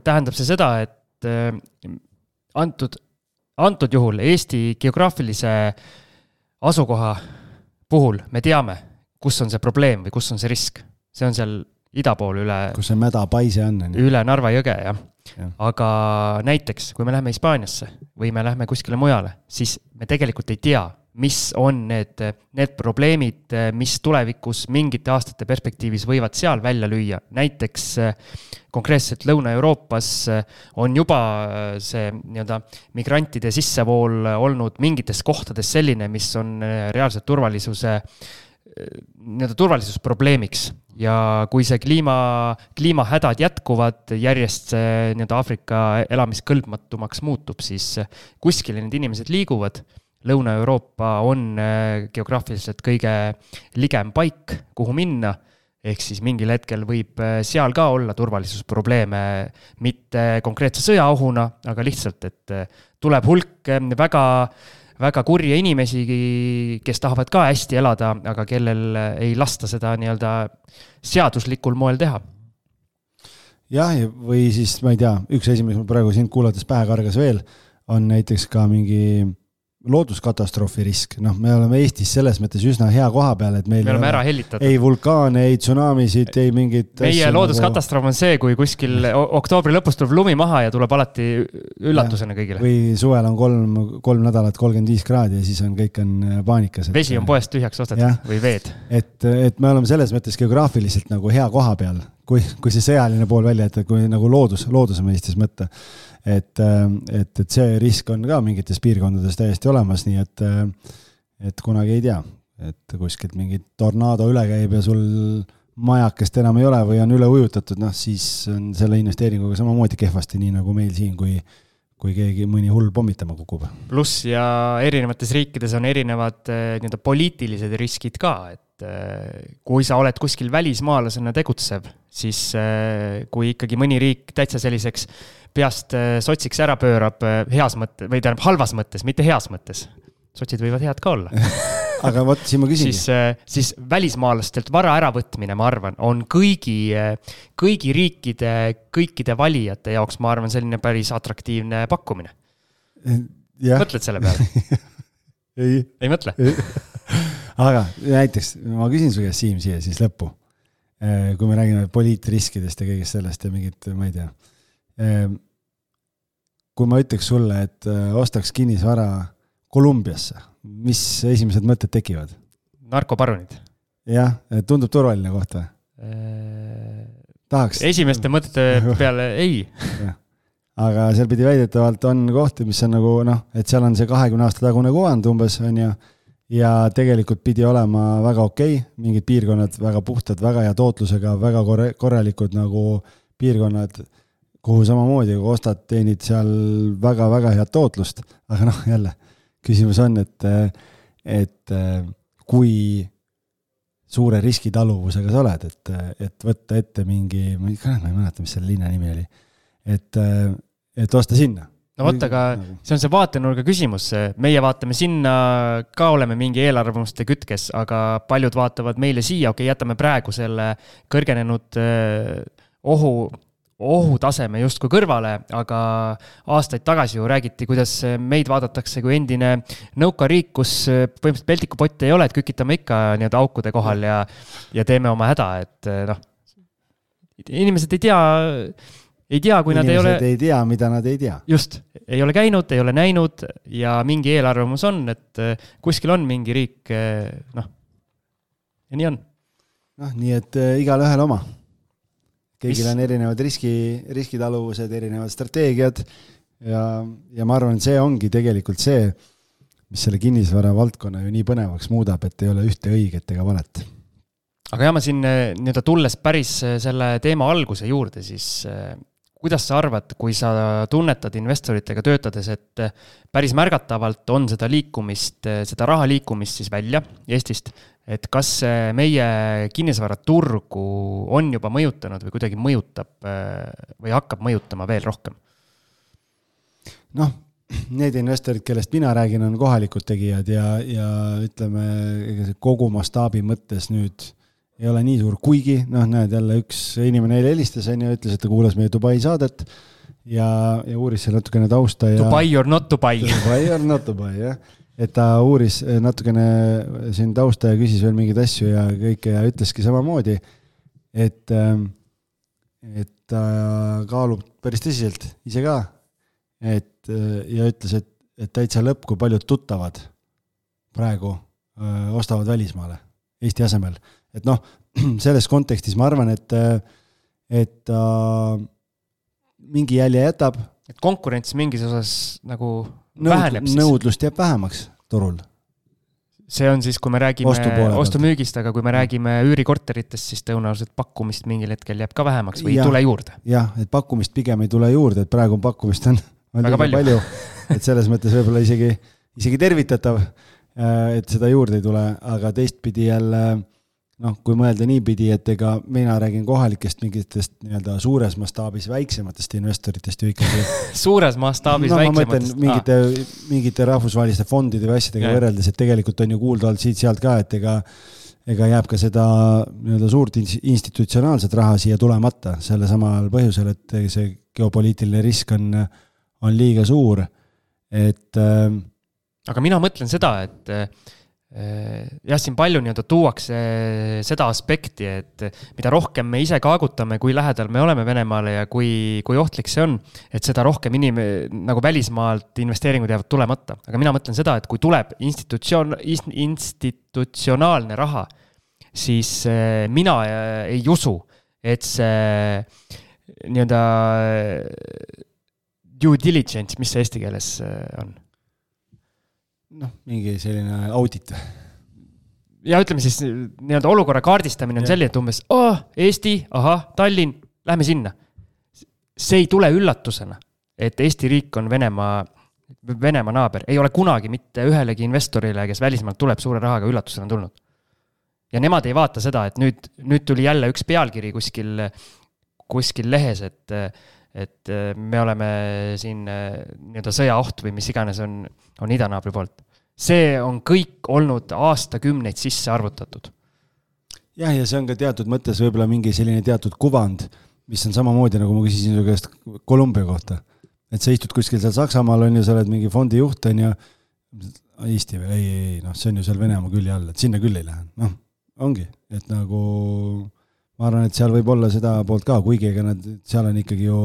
Speaker 3: tähendab see seda, et antud, antud juhul Eesti geograafilise asukoha puhul me teame, kus on see probleem või kus on see risk. See on seal ida pool üle...
Speaker 4: Kus see mäda paise on?
Speaker 3: Üle Narva jõge, jah. Ja. Aga näiteks, kui me lähme Hispaaniasse või me lähme kuskile mujale, siis me tegelikult ei tea, mis on need, need probleemid, mis tulevikus mingite aastate perspektiivis võivad seal välja lüüa. Näiteks konkreetselt Lõuna-Euroopas on juba see nii-öelda migrantide sissevool olnud mingites kohtades selline, mis on reaalselt turvalisuse nii-öelda turvalisusprobleemiks. Ja kui see kliima, kliimahädad jätkuvad, järjest see nii-öelda Aafrika elamiskõlbmatumaks muutub, siis kuskil need inimesed liiguvad. Lõuna-Euroopa on geograafiliselt kõige ligem paik, kuhu minna, ehk siis mingil hetkel võib seal ka olla turvalisusprobleeme, mitte konkreetse sõjaohuna, aga lihtsalt, et tuleb hulk väga väga kurje inimesi, kes tahavad ka hästi elada, aga kellel ei lasta seda nii-öelda seaduslikul moel teha.
Speaker 4: Jah, või siis, ma ei tea, üks asi, mis mul praegu siin kuulates pähe kargas veel, on näiteks ka mingi looduskatastroofi risk. Noh, me oleme Eestis selles mõttes üsna hea koha peal, et meil
Speaker 3: me oleme ära hellitatud.
Speaker 4: Ei vulkaane, ei tsunamisid, ei mingid...
Speaker 3: Meie looduskatastroof on see, kui kuskil oktoobri lõpus tuleb lumi maha ja tuleb alati üllatusena kõigile.
Speaker 4: Või suvel on kolm, kolm nädalat kolmkümmend viis kraadi ja siis on kõik on paanikas. Et...
Speaker 3: Vesi on poest tühjaks ostetud ja. Või veed.
Speaker 4: Et, et me oleme selles mõttes geograafiliselt nagu hea koha peal, kui, kui see sõjaline pool välja, et kui nagu loodus, looduse mõistes mõtta. Et, et, et see risk on ka mingites piirkondades täiesti olemas, nii et, et kunagi ei tea, et kuskilt mingi tornaado üle käib ja sul majakest enam ei ole või on üle ujutatud, noh siis on selle investeeringuga samamoodi kehvasti, nii nagu meil siin, kui, kui keegi mõni hull pommitama kukub.
Speaker 3: Pluss ja erinevates riikides on erinevad nii-öelda poliitilised riskid ka, et kui sa oled kuskil välismaalasena tegutsev, siis kui ikkagi mõni riik täitsa selliseks peast sotsiks ära pöörab heas mõttes, või tähendab halvas mõttes, mitte heas mõttes. Sotsid võivad head ka olla.
Speaker 4: Aga võt, siin ma küsingi.
Speaker 3: Siis, siis välismaalastelt vara äravõtmine, ma arvan, on kõigi, kõigi riikide, kõikide valijate jaoks, ma arvan, selline päris atraktiivne pakkumine.
Speaker 4: Ja.
Speaker 3: Mõtled selle peale?
Speaker 4: Ei.
Speaker 3: Ei mõtle?
Speaker 4: Aga näiteks, ma küsin su käest Siim siia siis lõppu. Kui me räägime poliitriskidest ja kõigest sellest ja mingit, ma ei tea. Kui ma ütleks sulle, et ostaks kinnisvara Kolumbiasse, mis esimesed mõtted tekivad?
Speaker 3: Narkoparunid.
Speaker 4: Jah, tundub turvaline koht või? Tahaks.
Speaker 3: Esimeste mõtete peale ei.
Speaker 4: Aga seal pidi väidetavalt on kohti, mis on nagu, noh, et seal on see kahekümne aasta tagune kuvand umbes, on ja, ja tegelikult pidi olema väga okei, mingid piirkonnad väga puhtad, väga hea tootlusega, väga korralikud nagu piirkonnad, kuhu samamoodi, kui ostad, teenid seal väga-väga head tootlust, aga noh, jälle, küsimus on, et, et kui suure riskitaluvusega sa oled, et, et võtta ette mingi, ma ei mäleta, mis selle linna nimi oli, et, et osta sinna.
Speaker 3: No võtta, aga see on see vaatenurga küsimus. Meie vaatame sinna, ka oleme mingi eelarvamuste kütkes, aga paljud vaatavad meile siia, okei, jätame praegu selle kõrgenenud ohu ohutaseme justkui kõrvale, aga aastaid tagasi ju räägiti, kuidas meid vaadatakse kui endine nõukariik, kus põhimõtteliselt peltikupotti ei ole, et kükitame ikka nii-öelda aukude kohal ja, ja teeme oma häda, et noh, inimesed ei tea, ei tea, kui
Speaker 4: inimesed
Speaker 3: nad ei ole...
Speaker 4: ei tea, mida nad ei tea.
Speaker 3: Just, ei ole käinud, ei ole näinud ja mingi eelarvamus on, et kuskil on mingi riik, noh, ja nii on. Noh,
Speaker 4: nii et igal ühel oma. Kõigil on erinevad riski, riskitaluvused, erinevad strateegiad ja, ja ma arvan, see ongi tegelikult see, mis selle kinnisvara valdkonna ju nii põnevaks muudab, et ei ole ühte õiget ega valet.
Speaker 3: Aga jah, ma siin nii-öelda tulles päris selle teema alguse juurde, siis kuidas sa arvad, kui sa tunnetad investoritega töötades, et päris märgatavalt on seda liikumist, seda raha liikumist siis välja Eestist, et kas meie kinnisvaraturgu on juba mõjutanud või kuidagi mõjutab või hakkab mõjutama veel rohkem?
Speaker 4: Noh, need investorid, kellest mina räägin, on kohalikud tegijad ja, ja ütleme, kogu mastaabi mõttes nüüd ei ole nii suur, kuigi, noh, näed jälle üks inimene eile helistas ja ütles, et ta kuulas meie Dubai saadet ja, ja uuris seal natukene tausta. Ja,
Speaker 3: Dubai or not Dubai.
Speaker 4: Dubai or not Dubai, jah. Et ta uuris natukene siin tausta ja küsis veel mingid asju ja kõike ja ütleski samamoodi, et, et ta kaalub päris tõsiselt ise ka, et, ja ütles, et, et täitsa lõpp, kui paljud tuttavad praegu öö, ostavad välismaale Eesti asemel. Et noh, selles kontekstis ma arvan, et, et ta mingi jälje jätab.
Speaker 3: Et konkurents mingis osas nagu
Speaker 4: Nõud,
Speaker 3: väheneb siis.
Speaker 4: Nõudlust jääb vähemaks turul.
Speaker 3: See on siis, kui me räägime ostumüügist, aga kui me räägime üürikorteritest, siis tõenäoliselt pakkumist mingil hetkel jääb ka vähemaks või
Speaker 4: ja,
Speaker 3: ei tule juurde.
Speaker 4: Jah, et pakkumist pigem ei tule juurde, et praegu pakkumist on, on väga palju. palju. Et selles mõttes võib-olla isegi, isegi tervitatav, et seda juurde ei tule, aga teistpidi jälle, noh, kui mõelda niipidi, et ega mina räägin kohalikest mingitest nii-öelda suures mastaabis väiksematest investoritest ju ikkagi. Suures mastaabis
Speaker 3: no,
Speaker 4: väiksematest? Mingite, ah. mingite rahvusvaheliste fondide või asjadega ja. Võrreldes, et tegelikult on ju kuulda olnud siit sealt ka, et ega, ega jääb ka seda nii-öelda suurt institutsionaalset raha siia tulemata selle samal põhjusel, et see geopoliitiline risk on, on liiga suur. Et, äh,
Speaker 3: aga mina mõtlen seda, et jah, siin palju nii-öelda tuuakse seda aspekti, et mida rohkem me ise kaagutame, kui lähedal me oleme Venemaale ja kui, kui ohtlik see on, et seda rohkem inim, nagu välismaalt investeeringud jäävad tulemata. Aga mina mõtlen seda, et kui tuleb institutsioon, institutsionaalne raha, siis mina ei usu, et see nii-öelda due diligence, mis see eesti keeles on?
Speaker 4: noh, mingi selline audit.
Speaker 3: Ja ütleme siis, nii-öelda olukorra kaardistamine on selline, et umbes, oh, Eesti, aha, Tallinn, lähme sinna. See ei tule üllatusena. et Eesti riik on Venemaa, Venemaa naaber. Ei ole kunagi mitte ühelegi investorile, kes välismaalt tuleb suure rahaga üllatusena tulnud. Ja nemad ei vaata seda, et nüüd, nüüd tuli jälle üks pealkiri kuskil, kuskil lehes, et, et me oleme siin nii-öelda sõjaoht või mis iganes on, on idanaabri poolt. See on kõik olnud aastakümneid sisse arvutatud.
Speaker 4: Jah, ja see on ka teatud mõttes võib-olla mingi selline teatud kuvand, mis on samamoodi, nagu ma küsisin su käest Kolumbia kohta. Et sa istud kuskil seal Saksamaal, on ju, sa oled mingi fondi juht, on ju, Eesti või, ei, ei, noh, see on ju seal Venemaa külje all, et sinna küll ei lähe. Noh, ongi, et nagu ma arvan, et seal võib olla seda poolt ka, kuigi ega nad, seal on ikkagi ju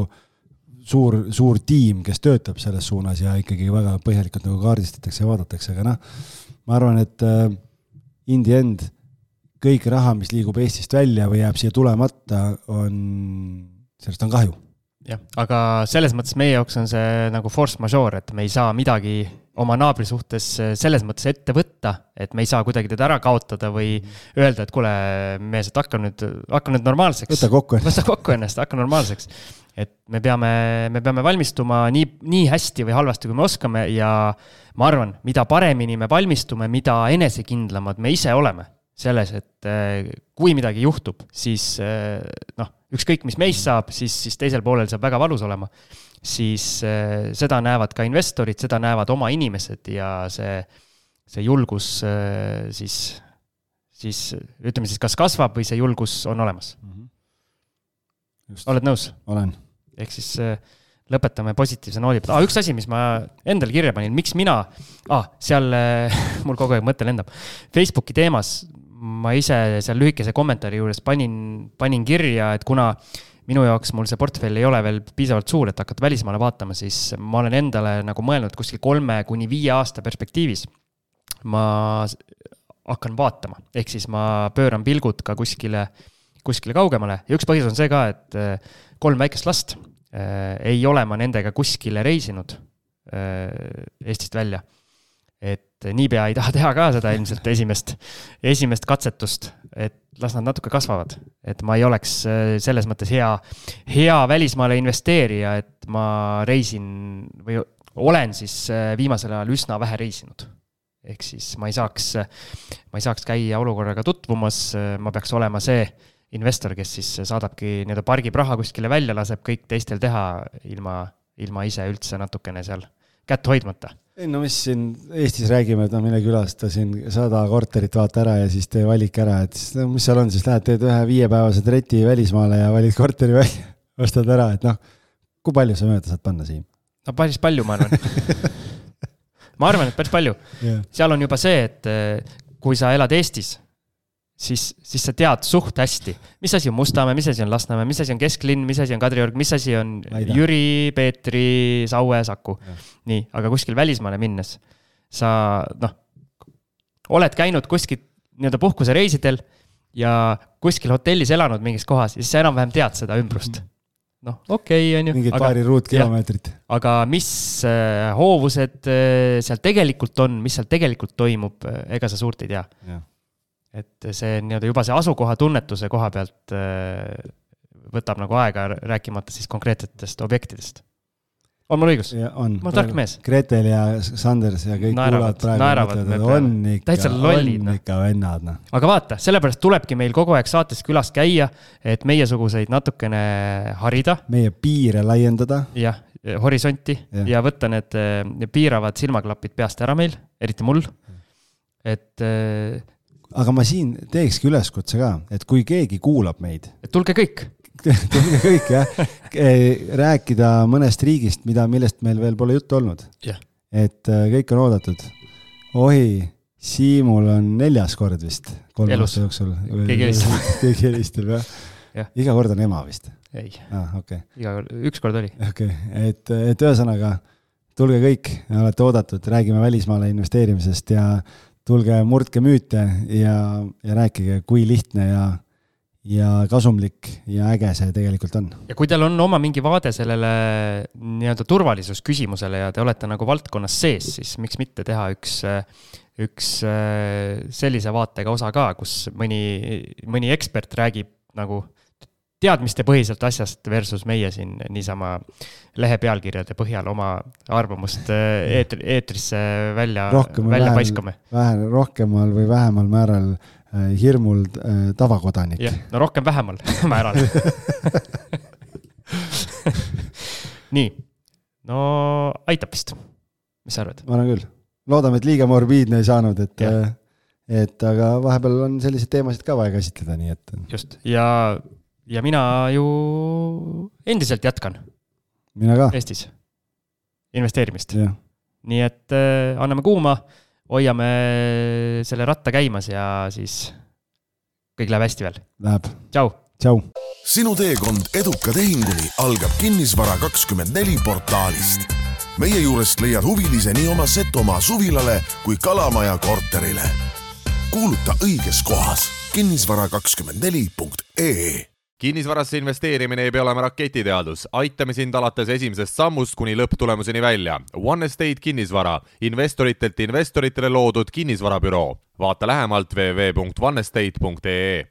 Speaker 4: suur, suur tiim, kes töötab selles suunas ja ikkagi väga põhjalikult nagu kaardistatakse ja vaadatakse, aga noh, ma arvan, et äh, in the end kõik raha, mis liigub Eestist välja või jääb siia tulemata, on, sellest on kahju.
Speaker 3: Jah, aga selles mõttes meie jaoks on see nagu force majeure, et me ei saa midagi oma naabri suhtes selles mõttes ette võtta, et me ei saa kuidagi teda ära kaotada või öelda, et kuule, mees, et hakka nüüd, hakka nüüd normaalseks.
Speaker 4: Võta kokku ennast.
Speaker 3: Võta kokku ennast, hakka normaalseks. Et me peame, me peame valmistuma nii, nii hästi või halvasti, kui me oskame ja ma arvan, mida paremini me valmistume, mida enesekindlamad me ise oleme selles, et kui midagi juhtub, siis noh, ükskõik mis meist saab, siis, siis teisel poolel saab väga valus olema, siis seda näevad ka investorid, seda näevad oma inimesed ja see, see julgus siis, siis ütleme siis, kas kasvab või see julgus on olemas. Just. Oled nõus?
Speaker 4: Olen.
Speaker 3: Ehk siis lõpetame positiivse nooli. Ah, üks asi, mis ma endal kirja panin, miks mina, ah, seal mul kogu aeg mõte lendab, Facebooki teemas ma ise seal lühikese kommentaari juures panin, panin kirja, et kuna minu jaoks mul see portfell ei ole veel piisavalt suur, et hakata välismaale vaatama, siis ma olen endale nagu mõelnud kuskil kolme kuni viie aasta perspektiivis. Ma hakkan vaatama, ehk siis ma pööran pilgud ka kuskile, kuskile kaugemale ja üks põhjus on see ka, et kolm väikest last ei ole ma nendega kuskile reisinud Eestist välja. Et niipea ei taha teha ka seda ilmselt esimest, esimest katsetust, et las nad natuke kasvavad. Et ma ei oleks selles mõttes hea, hea välismaale investeerija, et ma reisin või olen siis viimasel ajal üsna vähe reisinud. Ehk siis ma ei saaks, ma ei saaks käia olukorraga tutvumas, ma peaks olema see investor, kes siis saadabki nii-öelda pargib raha kuskile välja, laseb kõik teistel teha ilma, ilma ise üldse natukene seal kätt hoidmata.
Speaker 4: Ei, no mis siin Eestis räägime, et no mine külasta siin sada korterit vaata ära ja siis tee valik ära, et siis, no, mis seal on, siis lähed teed ühe viiepäevase treti välismaale ja valid korteri välja, ostad ära, et noh, kui palju sa mööda saad panna siin?
Speaker 3: No päris palju, ma arvan. ma arvan, et päris palju. Yeah. Seal on juba see, et kui sa elad Eestis, siis, siis sa tead suht hästi, mis asi on Mustamäe, mis asi on Lasnamäe, mis asi on Kesklinn, mis asi on Kadriorg, mis asi on Laida. Jüri, Peetri, Saue, Saku. Ja. Nii, aga kuskil välismaale minnes sa, noh, oled käinud kuskil nii-öelda puhkuse reisidel ja kuskil hotellis elanud mingis kohas ja siis sa enam-vähem tead seda ümbrust. Noh, okei, okay, on ju.
Speaker 4: Mingid aga, paari ruutkilomeetrit.
Speaker 3: Aga mis äh, hoovused äh, seal tegelikult on, mis seal tegelikult toimub, äh, ega sa suurt ei tea. Ja. Et see nii-öelda juba see asukoha tunnetuse koha pealt võtab nagu aega rääkimata siis konkreetsetest objektidest. On mul õigus?
Speaker 4: Ja, on.
Speaker 3: Ma tark mees.
Speaker 4: Gretel ja Sanders ja kõik
Speaker 3: naeravad,
Speaker 4: kuulad
Speaker 3: praegu.
Speaker 4: Mõtled, on ikka,
Speaker 3: lollid,
Speaker 4: on ikka vennad. No.
Speaker 3: Aga vaata, sellepärast tulebki meil kogu aeg saates külas käia, et meiesuguseid natukene harida.
Speaker 4: Meie piire laiendada.
Speaker 3: Jah, horisonti ja, ja võtta need piiravad silmaklapid peast ära meil, eriti mul. Et
Speaker 4: aga ma siin teekski üleskutse ka, et kui keegi kuulab meid.
Speaker 3: Et tulge kõik.
Speaker 4: tulge kõik, jah. Rääkida mõnest riigist, mida, millest meil veel pole juttu olnud.
Speaker 3: Yeah.
Speaker 4: Et kõik on oodatud. Ohi, Siimul on neljas kord vist. Kolm aasta jooksul.
Speaker 3: Keegi helistab.
Speaker 4: Keegi helistab, jah. Yeah. Iga kord on ema vist.
Speaker 3: Ei.
Speaker 4: Ah, okay.
Speaker 3: Iga kord, üks kord oli.
Speaker 4: Okay. Et, et ühesõnaga, tulge kõik, olete oodatud, räägime välismaale investeerimisest ja tulge murdke müüte ja, ja rääkige, kui lihtne ja, ja kasumlik ja äge see tegelikult on.
Speaker 3: Ja kui teil on oma mingi vaade sellele nii-öelda turvalisusküsimusele ja te olete nagu valdkonnas sees, siis miks mitte teha üks, üks sellise vaatega osa ka, kus mõni, mõni ekspert räägib nagu teadmiste põhiselt asjast versus meie siin niisama lehe pealkirjade põhjal oma arvamust eetri, eetrisse välja, välja paiskame.
Speaker 4: Vähe, rohkemal või vähemal määral äh, hirmul äh, tavakodanik.
Speaker 3: Jah, no rohkem vähemal määral. Nii, no aitab vist. Mis sa arvad?
Speaker 4: Ma arvan küll. Loodame, et liiga morbiidne ei saanud, et, et aga vahepeal on sellised teemasid ka vaja käsitleda, nii et...
Speaker 3: Just, ja, ja mina ju endiselt jätkan.
Speaker 4: Mina ka.
Speaker 3: Eestis investeerimist.
Speaker 4: Ja.
Speaker 3: Nii et äh, anname kuuma, hoiame selle ratta käimas ja siis kõik läheb hästi veel.
Speaker 4: Läheb.
Speaker 3: Tšau.
Speaker 4: Tšau.
Speaker 1: Sinu teekond eduka tehinguni algab Kinnisvara kakskümmend neli portaalist. Meie juurest leiad huvilise nii oma Setomaa suvilale kui Kalamaja korterile. Kuuluta õiges kohas kinnisvara kakskümmend neli punkt ee.
Speaker 2: Kinnisvarasse investeerimine ei pea olema raketiteadus. Aitame sind alates esimesest sammust kuni lõpptulemuseni välja. One Estate Kinnisvara, investoritelt investoritele loodud kinnisvarabüroo. Vaata lähemalt w w w punkt one estate punkt ee.